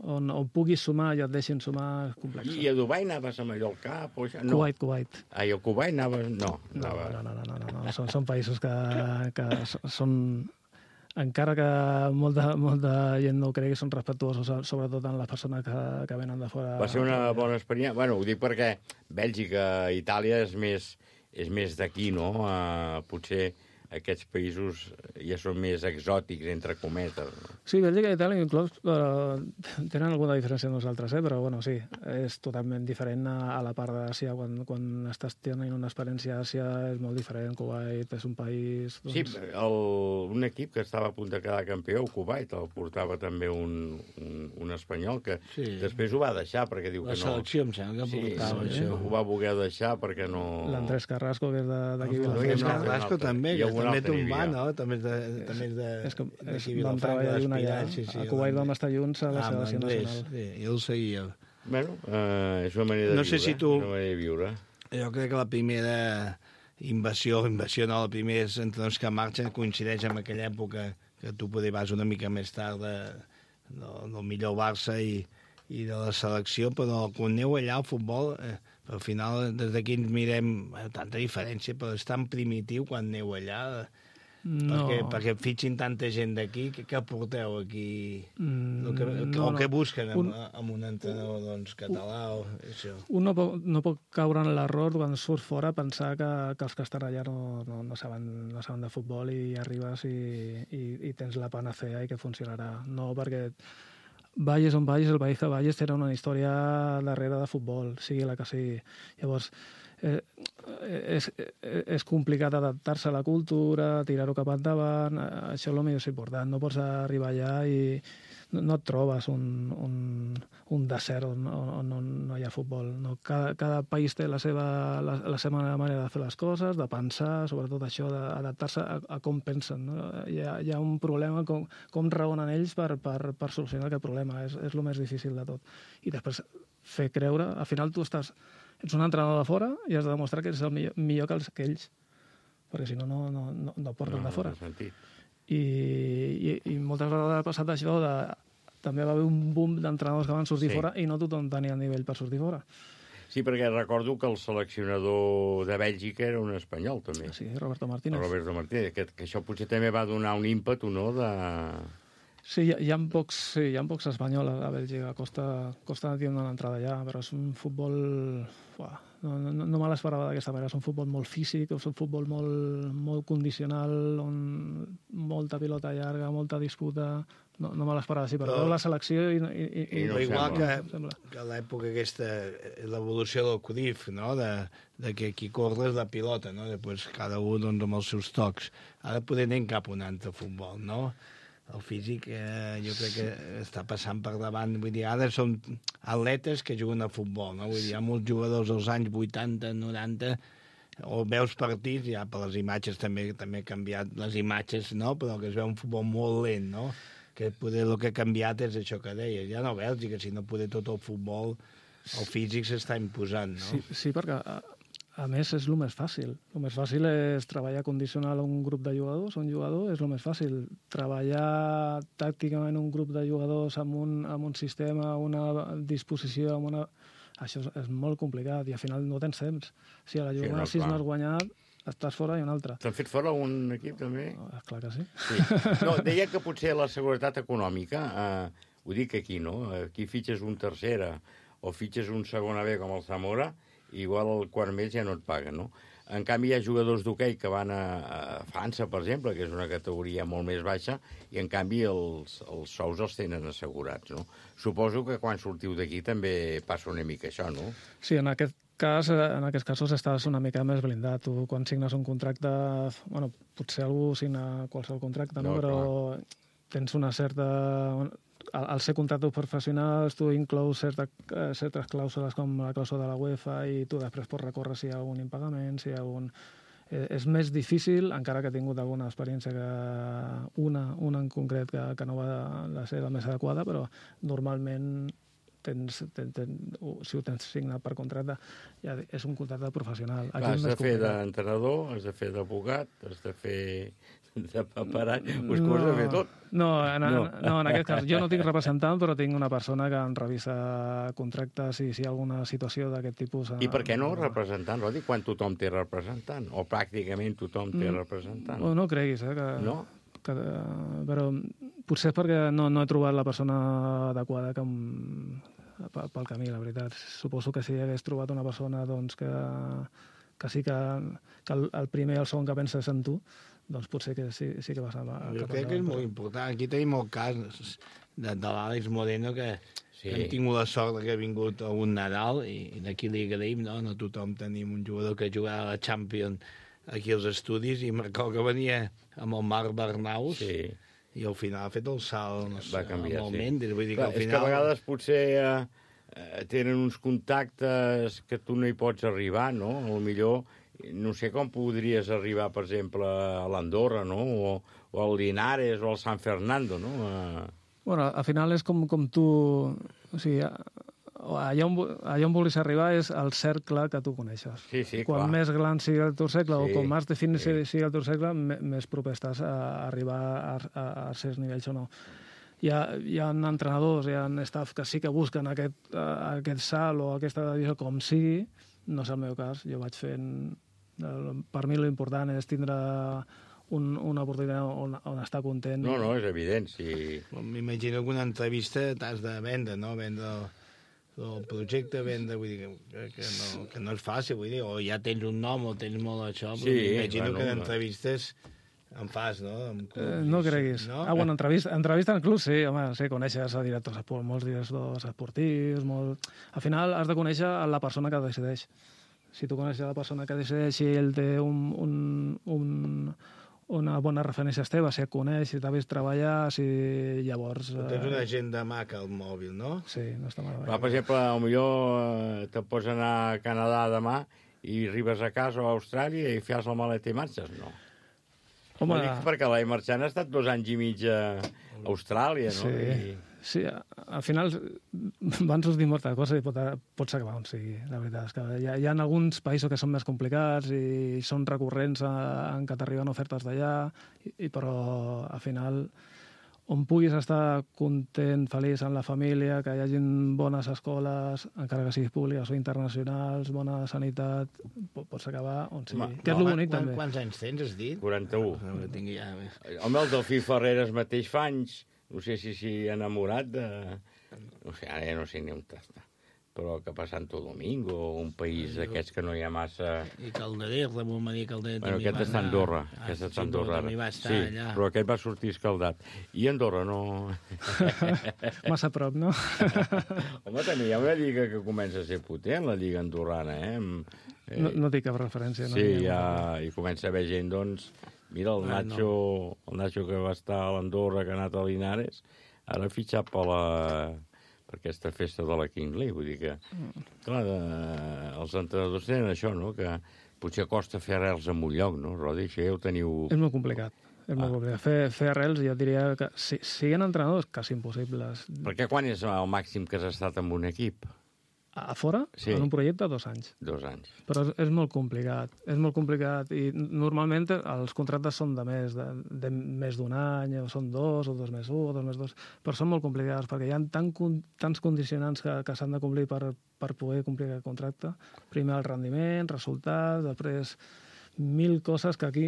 on, on puguis sumar i et deixin sumar és complex. I a Dubai anaves a Mallorca? O això? No. Kuwait, Kuwait. Ah, i a Kuwait anaves... No, No, anava... no, no, no, no, no, no. Són, són països que, que s- són, encara que molta, molta gent no ho cregui, són respectuosos, sobretot en les persones que, que venen de fora. Va ser una bona experiència. Bueno, ho dic perquè Bèlgica, Itàlia és més, és més d'aquí, no? Uh, potser aquests països ja són més exòtics, entre cometes. No? Sí, Bèlgica i Itàlia inclòs però tenen alguna diferència amb nosaltres, eh? Però bueno, sí, és totalment diferent a, a la part d'Àsia. Quan, quan estàs tenint una experiència a Àsia és molt diferent. Kuwait és un país... Doncs... Sí, el, un equip que estava a punt de quedar campió, el Kuwait, el portava també un, un, un espanyol que Sí. després ho va deixar perquè diu La que no... selecció, em sembla que sí, portava sí, això. ho va voler deixar perquè no... L'Andrés Carrasco, que és de- d'aquí. El Vilafranca. Luis Carrasco també, Hi que ha algun també altre té un hi va, havia. no? També és de, també és de, És que és, d'aquí vam Vilafranca, treballar junts allà. d'Espiral, sí, sí, A Kuwait vam estar junts a la Ah, selecció amb l'Andrés, nacional. sí, jo el seguia. Bueno, eh, és una manera de No sé viure. si tu- És una manera de viure. Jo crec que la primera invasió, invasió no, la primera entrenadors que marxen coincideix amb aquella època que tu poder vas una mica més tard de, del, del millor Barça i, i de la selecció, però quan aneu allà al futbol, eh, al final des d'aquí ens mirem eh, tanta diferència, però és tan primitiu quan aneu allà, No. perquè, perquè fitxin tanta gent d'aquí, què, què porteu aquí? Mm, el que, no, o no. què busquen amb, Un- un, amb un entrenador doncs, català o això? Un no pot, no pot caure en l'error quan surts fora pensar que, que els que estan allà no, no, no, saben, no saben de futbol i arribes i, i, i tens la panacea i que funcionarà. No, perquè vagis on vagis, el país que vagis té una història darrere de futbol, sigui la que sigui. Llavors, eh, és, és complicat adaptar-se a la cultura, tirar-ho cap endavant, això és el més important. No pots arribar allà i no et trobes un, un, un desert on, on, on no hi ha futbol. No? Cada, cada país té la seva, la, la seva manera de fer les coses, de pensar, sobretot això, d'adaptar-se a, a com pensen. No? Hi, ha, hi ha un problema, com, com raonen ells per, per, per solucionar aquest problema. És, és el més difícil de tot. I després fer creure, al final tu estàs, ets un entrenador de fora i has de demostrar que ets el millor, millor que, els, que ells, perquè si no, no, no, no, no porten no, de fora. No I, i, i moltes vegades ha passat això de... També va haver un boom d'entrenadors que van sortir sí. fora i no tothom tenia nivell per sortir fora. Sí, perquè recordo que el seleccionador de Bèlgica era un espanyol, també. Sí, Roberto Martínez. Roberto Martínez, que, que això potser també va donar un ímpetu, no?, de... Sí, hi ha, hi ha pocs, sí, hi ha pocs espanyols a Bèlgica. Costa, costa de tenir una entrada allà, però és un futbol... Uah, no, no, no me l'esperava d'aquesta manera. És un futbol molt físic, és un futbol molt, molt condicional, on molta pilota llarga, molta disputa... No, no me l'esperava així, però, però la selecció... I, i, i, i no igual sembla. que, que a l'època aquesta, l'evolució del Cruyff, no?, de, de que qui corre és la pilota, no?, després cada un doncs, amb els seus tocs. Ara poder anem cap a un altre futbol, no? El físic eh, jo crec que està passant per davant. Vull dir, ara són atletes que juguen a futbol, no? Vull dir, hi ha molts jugadors als anys vuitanta, noranta, o veus partits, ja per les imatges també també ha canviat les imatges, no?, però que es veu un futbol molt lent, no?, que poder el que ha canviat és això que deies. Ja no veus, i que si no poder tot el futbol, el físic s'està imposant, no? Sí, sí, perquè a, a més és el més fàcil. El més fàcil és treballar condicional a un grup de jugadors, un jugador, és el més fàcil. Treballar tàcticament un grup de jugadors amb un, amb un sistema, una disposició, amb una... Això és, és molt complicat i al final no tens temps. Si a la jornada sis no has guanyat, estàs fora i un altre. T'han fet fora un equip, també? No, clar que sí. sí. No, deia que potser la seguretat econòmica, eh, ho dic aquí, no? Aquí fitxes un tercera o fitxes un segona B com el Zamora, igual el quart mes ja no et paguen, no? En canvi, hi ha jugadors d'hoquei que van a, a França, per exemple, que és una categoria molt més baixa, i en canvi els, els sous els tenen assegurats, no? Suposo que quan sortiu d'aquí també passa una mica això, no? Sí, en aquest cas, en aquests casos estàs una mica més blindat. Tu, quan signes un contracte... Bueno, potser algú signa qualsevol contracte, no? no però clar. Tens una certa... Al, al ser contractes professionals, tu inclous certa, certes clàusules com la clàusula de la UEFA i tu després pots recórrer si hi ha algun impagament, si hi ha algun... Eh, és més difícil, encara que he tingut alguna experiència, que una, una en concret que, que no va la ser la més adequada, però normalment tens, ten, ten, si ho tens signat per contracte, ja és un contracte professional. Aquí Clar, has de fer d'entrenador, has de fer d'advocat, has de fer de paperat, us no, has de fer tot. No, en, no. no, en aquest cas, jo no tinc representant, però tinc una persona que em revisa contractes i si hi ha alguna situació d'aquest tipus... I per què no representant, Rodi, quan tothom té representant? O pràcticament tothom té mm, representant? No, no creguis, eh, que... No? Que, però potser és perquè no, no he trobat la persona adequada que em, pel camí, la veritat. Suposo que si hagués trobat una persona doncs, que, que sí que, que el, el primer i el segon que penses en tu, doncs potser que sí, sí que vas a... a jo crec que és molt important. Aquí tenim el cas de, de l'Àlex Moreno, que, sí. que hem tingut la sort que ha vingut a un Nadal, i, i d'aquí li agraïm, no? No tothom tenim un jugador que jugava a la Champions aquí als estudis, i em recordo que venia amb el Marc Bernaus, sí. i al final ha fet el salt, no sé, va canviar, amb el sí. Mendes. Vull dir Clar, que al final... És que a vegades potser eh, tenen uns contactes que tu no hi pots arribar, no? A lo millor, no sé com podries arribar, per exemple, a l'Andorra, no? O, o al Linares, o al San Fernando, no? A... Bueno, al final és com, com tu... O sigui, allà on, allà on vulguis arribar és el cercle que tu coneixes. Sí, sí, Quan clar. més gran sigui el teu cercle, sí, o com més definit sí. sigui el teu cercle, més proper estàs a arribar a, a, a certs nivells o no. Hi ha, hi ha entrenadors, hi ha staff que sí que busquen aquest, uh, aquest salt o aquesta divisió com sigui. No és el meu cas. Jo vaig fent... Per mi l'important és tindre un, una oportunitat on, on estar content. No, no, és evident, sí. M'imagino que una entrevista t'has de vendre, no? Vendre el projecte, vendre, vull dir, que, que, no, que no és fàcil, vull dir, o ja tens un nom o tens molt això, però sí, m'imagino bueno, que en entrevistes en fas, no? Eh, no creguis. No? Ah, bueno, entrevista, entrevista en club, sí, home, sí, coneixes a directors, molts directors esportius, molt... Al final has de conèixer la persona que decideix. Si tu coneixes la persona que decideixi, ell té un, un, un, una bona referència teva, si et coneix, si t'ha vist treballar, si llavors... Tu tens una agenda maca al mòbil, no? Sí, no està malament. Però, per exemple, potser te pots anar a Canadà demà i arribes a casa o a Austràlia i fas la maleta i marxes, no? Home... Dic perquè l'Ai Marchant ha estat dos anys i mig a Austràlia, no? Sí, I... sí, al final van sortir moltes coses i pot, pots acabar on sigui, la veritat. És que hi ha, hi ha alguns països que són més complicats i són recurrents a, en què t'arriben ofertes d'allà, i, i però al final on puguis estar content, feliç amb la família, que hi hagin bones escoles, encara que siguis públiques o internacionals, bona sanitat, pots acabar on sigui. Ma, que és no, el bonic, quan, també. Quants anys tens, has dit? quaranta-u. No, tinc ja... Home, el Delfí Ferreres mateix fa anys, no sé si s'hi ha enamorat de... No sé, ara ja no sé ni on està. Però que pa Santo Domingo, un país d'aquests que no hi ha massa... I Calderer, Ramon Maria Calderer bueno, també aquest va està a Andorra. Ah, Aquest sí, està a Andorra. també va estar sí, allà. però aquest va sortir escaldat. I Andorra no... Massa a prop, no? Home, també hi ha una lliga que comença a ser potent, la lliga andorrana, eh? eh no, no dic cap referència. No sí, ja, i comença a haver gent, doncs... Mira, el Nacho, ah, no. el Nacho que va estar a l'Andorra, que ha anat a Linares, ara ha fitxat per la... per aquesta festa de la King League, vull dir que, clar, de, els entrenadors tenen això, no?, que potser costa fer arrels en un lloc, no, Rodi? Això ja ho teniu... És molt complicat, és ah. molt complicat. Fer, fer arrels, jo diria que si siguin entrenadors, quasi impossibles. Perquè quan és el màxim que has estat en un equip? A fora? Sí. En un projecte, dos anys. Dos anys. Però és, és molt complicat, és molt complicat, i normalment els contractes són de més, de, de més d'un any, o són dos, o dos més un, o dos més dos, però són molt complicats, perquè hi ha tan, tants condicionants que, que s'han de complir per, per poder complir aquest contracte. Primer el rendiment, resultats, després mil coses que aquí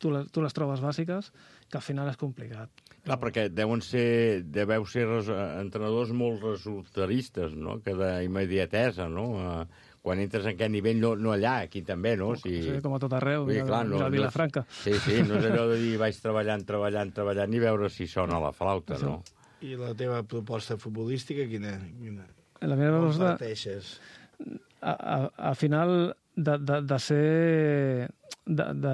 tu les, tu les trobes bàsiques, que al final és complicat. Clar, perquè deuen ser, deveu ser res, entrenadors molt resultaristes, no?, que d'immediatesa, no?, quan entres en aquest nivell, no, no allà, aquí també, no? Si... Sí, com a tot arreu, dir, clar, no, a Vilafranca. No, sí, sí, no és allò de dir vaig treballant, treballant, treballant i veure si sona la flauta, no? I la teva proposta futbolística, quina? quina? La meva proposta... Al final, de, de, de ser... De, de,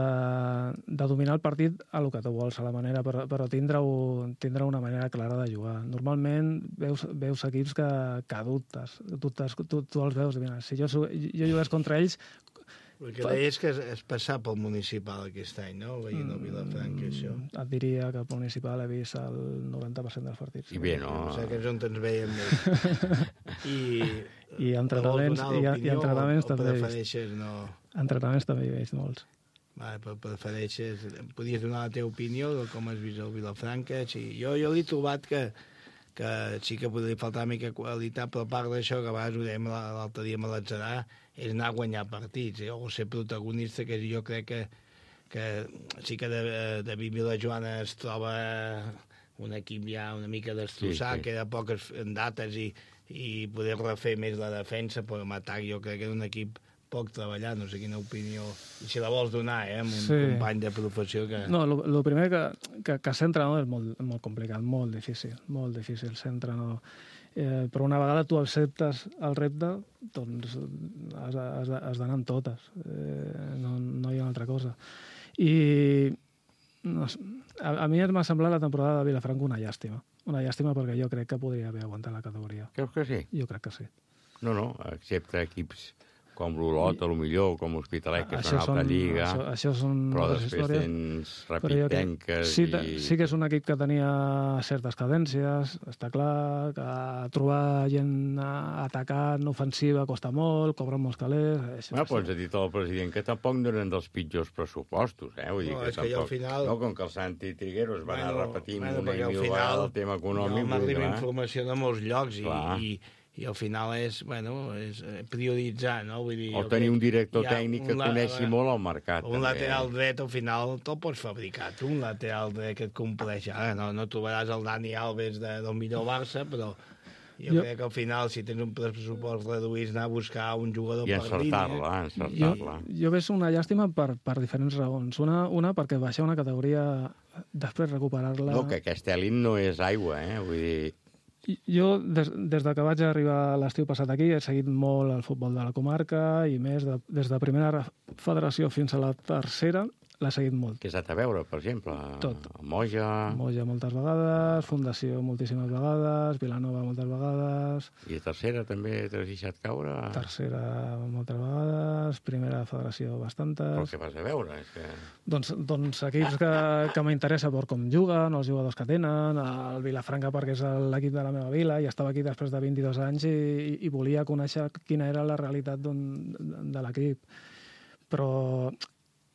de dominar el partit a lo que tu vols, a la manera, però, però tindre, tindre una manera clara de jugar. Normalment veus, veus equips que, que dubtes, dubtes tu, tu els veus. Mira, si jo, jo jugués contra ells... El que deies que és, és passar pel municipal aquest any, no? Veient el Vilafranca, això. Et diria que pel municipal he vist el noranta per cent dels partits. I bé, no? O sigui, que és on ens veiem més. I... I entrenaments, i, i entrenaments també he vist. No... Entrenaments també he vist molts. Vale, però prefereixes... Podies donar la teva opinió de com has vist el Vilafranca? Sí, jo, jo l'he trobat que, que sí que podria faltar una mica qualitat, però a part d'això, que a vegades ho dèiem l'altre dia amb l'Atzarà, és anar a guanyar partits, eh? O ser protagonista, que jo crec que, que sí que de, de Vilajoana es troba un equip ja una mica destrossat, sí, sí. Queda poques dates i, i poder refer més la defensa, però en atac jo crec que és un equip poc treballat, no sé quina opinió, i si la vols donar, eh, amb un sí. company de professió que... No, el primer que, que, que ser entrenador és molt, molt complicat, molt difícil, molt difícil ser entrenador. Eh, però una vegada tu acceptes el repte, doncs has, has, has d'anar amb totes, eh, no, no hi ha una altra cosa. I no, a, a mi m'ha semblat la temporada de Vilafranca una llàstima, una llàstima perquè jo crec que podria haver aguantat la categoria. Creus que sí? Jo crec que sí. No, no, excepte equips com l'Olot, a lo millor, com l'Hospitalet, que és una altra lliga, això, això són però després històries. Tens Rapitenques... Sí, i... sí que és un equip que tenia certes cadències, està clar, que trobar gent atacant, ofensiva, costa molt, cobren molts calés... Això, bueno, doncs ha dit el president que tampoc no eren dels pitjors pressupostos, eh? Vull dir no, que és tampoc... que al final... No, com que el Santi Trigueros va bueno, anar repetint bueno, una i mil vegades el tema econòmic... No, m'arriba informació de molts llocs i... i i al final és, bueno, és prioritzar, no? Vull dir, o tenir un director tècnic que coneixi molt el mercat. Un també. Lateral dret, al final, te'l pots fabricar. Tu, un lateral dret que et compleix. Ara no, no trobaràs el Dani Alves de, del millor Barça, però jo, jo crec que al final, si tens un pressupost reduït, anar a buscar un jugador I per línia... I encertar-la, Jo, jo veig una llàstima per, per diferents raons. Una, una perquè baixar una categoria, després recuperar-la... No, que aquest elit no és aigua, eh? Vull dir... Jo, des, des de que vaig arribar l'estiu passat aquí, he seguit molt el futbol de la comarca i més, de, des de primera federació fins a la tercera, l'he seguit molt. Què has anat a veure, per exemple? Tot. Moja... Moja moltes vegades, Fundació moltíssimes vegades, Vilanova moltes vegades... I tercera també t'has deixat caure? Tercera moltes vegades, primera federació bastantes... Però què vas a veure? És que... Doncs, doncs equips que, que m'interessa per com juguen, els jugadors que tenen, el Vilafranca perquè és l'equip de la meva vila, i estava aquí després de vint-i-dos anys i, i, i volia conèixer quina era la realitat de l'equip. Però...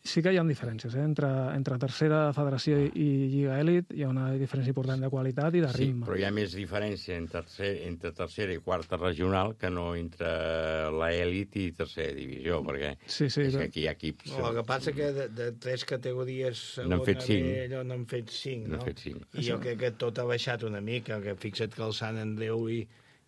sí que hi ha diferències, eh? entre, entre tercera federació i, i Lliga Elit hi ha una diferència important de qualitat i de ritme. Sí, però hi ha més diferència entre, tercer, entre tercera i quarta regional que no entre la elit i tercera divisió, perquè sí, sí, és que aquí hi ha equips... No, el que passa que de, de tres categories segona n'han fet cinc. B, allò n'han fet cinc, no? N'han fet cinc. I jo crec que tot ha baixat una mica, que fixa't que el Sant Andreu i,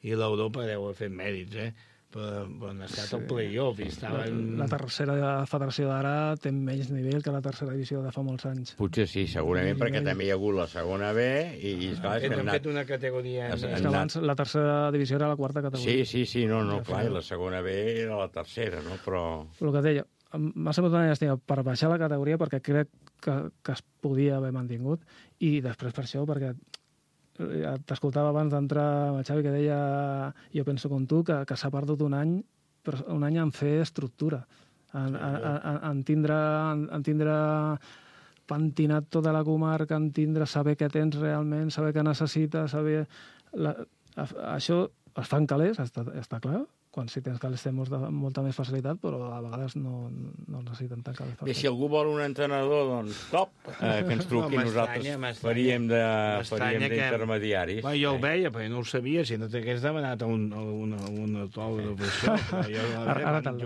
i l'Europa deu haver fet mèrits, eh? Però, però han estat sí. al play-off i estaven... La, la tercera federació d'ara té menys nivell que la tercera divisió de fa molts anys. Potser sí, segurament, perquè també hi ha hagut la segona B i, i esclar, és que han anat... fet una categoria... És que abans la tercera divisió era la quarta categoria. Sí, sí, sí, no, no, clar, i la segona B era la tercera, no? Però... El que deia, m'ha semblat una llàstima per baixar la categoria perquè crec que, que es podia haver mantingut i després per això, perquè t'escoltava abans d'entrar amb el Xavi que deia, jo penso com tu, que, que s'ha perdut un any, un any en fer estructura, en, en, en, en, tindre, en, en tindre pentinat tota la comarca, en tindre, saber què tens realment, saber què necessites, saber... La, això es fa en calés, està, està clar, quan sí tens calés té molta, molta més facilitat, però a vegades no, no necessiten tant calés. Bé, si algú vol un entrenador, doncs top, eh, que ens truqui, no, nosaltres faríem d'intermediaris. Bueno, jo el veia, però no ho sabia, si no t'hagués demanat un, un, un autògraf això. Jo, ara ara te'l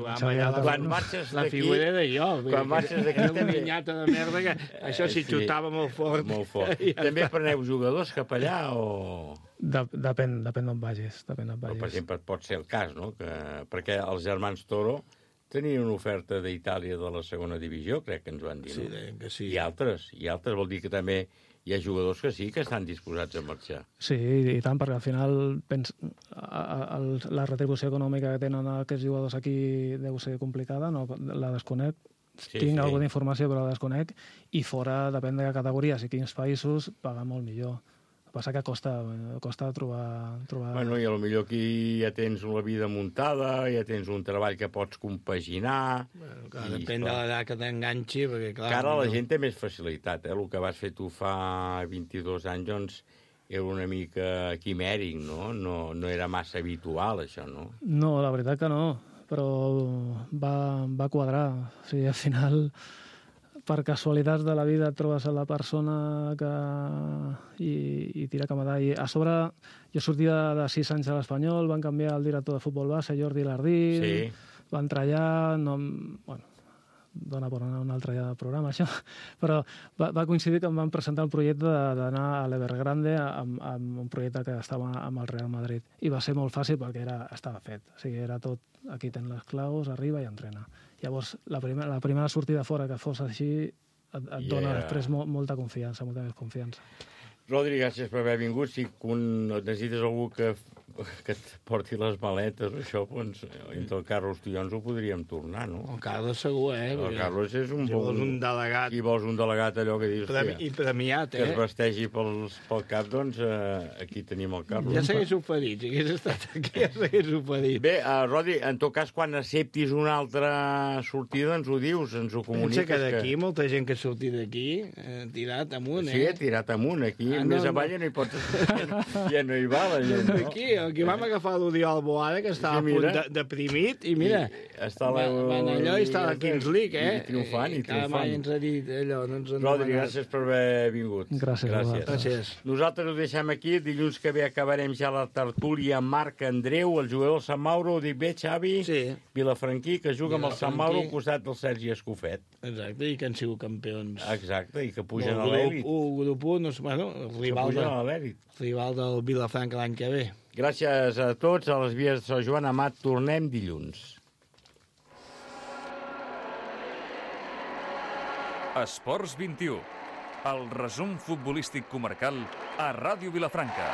Quan marxes la figura era jo. Quan marxes d'aquí... Era una minyata de merda que això s'hi xutava molt fort. Molt fort. També preneu jugadors cap allà o...? De, depèn, depèn d'on vagis. Depèn d'on vagis. Però, per exemple, pot ser el cas, no? Que, perquè els germans Toro tenien una oferta d'Itàlia de la segona divisió, crec que ens van dir, sí, no? Que sí. I altres, i altres vol dir que també hi ha jugadors que sí que estan disposats a marxar. Sí, i tant, perquè al final pens, a, a, la retribució econòmica que tenen aquests jugadors aquí deu ser complicada, no la desconec. Sí, Tinc sí. alguna informació, però la desconec, i fora, depèn de categories i quins països, paga molt millor. Passa que costa, costa trobar, trobar... Bueno, i potser aquí ja tens la vida muntada, ja tens un treball que pots compaginar... Bueno, clar, depèn de l'edat que t'enganxi, perquè clar... Que ara no... la gent té més facilitat, eh? El que vas fer tu fa vint-i-dos anys, doncs, era una mica quimèric, no? No, no era massa habitual, això, no? No, la veritat que no, però va, va quadrar. O sigui, al final... per casualitats de la vida et trobes a la persona que... i, i tira cap a I a sobre, jo sortia de sis anys a l'Espanyol, van canviar el director de futbol base, Jordi Lardín, sí. va entrar allà, no... bueno, dona per anar a un altre programa, això, però va, va coincidir que em van presentar el projecte d'anar a l'Evergrande amb, amb un projecte que estava amb el Real Madrid, i va ser molt fàcil perquè era, estava fet, o sigui, era tot, aquí tens les claus, arriba i entrena. Llavors, la primera, la primera sortida fora que fos així et, et yeah. dona després mo, molta confiança, molta més confiança. Rodri, gràcies per haver vingut. Si necessites algú que, que et porti les maletes, això, doncs, entre el Carlos i jo ens ho podríem tornar, no? El Carlos segur, eh? El Carlos és un si bon... vols un delegat... Si vols un delegat, allò que dius... Premi, I premiat, eh? Que es vestegi pels, pel cap, doncs eh, aquí tenim el Carlos. Ja s'hagués oferit, si hagués estat aquí, ja s'hagués oferit. Bé, uh, Rodri, en tot cas, quan acceptis una altra sortida, ens ho dius, ens ho comuniques. Pensa que d'aquí, que... molta gent que ha sortit d'aquí, eh, tirat amunt, eh? Sí, tirat amunt, aquí. Ah, més no, avall ja no hi pots... ja no hi va la gent, no? Aquí, aquí vam agafar l'Oriol Boada, que estava sí, a punt de, deprimit, i mira, I està la... van allò i està a la Kings League, eh? I triomfant, i triomfant. Cada mai ens ha dit allò, no ens han Rodri, gràcies per haver vingut. Gràcies. Gràcies. gràcies. Nosaltres ho deixem aquí, dilluns que ve acabarem ja la tertúlia amb Marc Andreu, el jugador del Sant Mauro, ho dic bé, Xavi? Sí. Vilafranquí, que juga amb el Sant Mauro al costat del Sergi Escofet. Exacte, i que han sigut campions. Exacte, i que pugen a l'èlit. Un grup un, no sé, bueno, el rival, de, rival del Vilafranca l'any que ve. Gràcies a tots, a les vies de Sant Joan Amat, tornem dilluns. Esports vint i u, el resum futbolístic comarcal a Ràdio Vilafranca.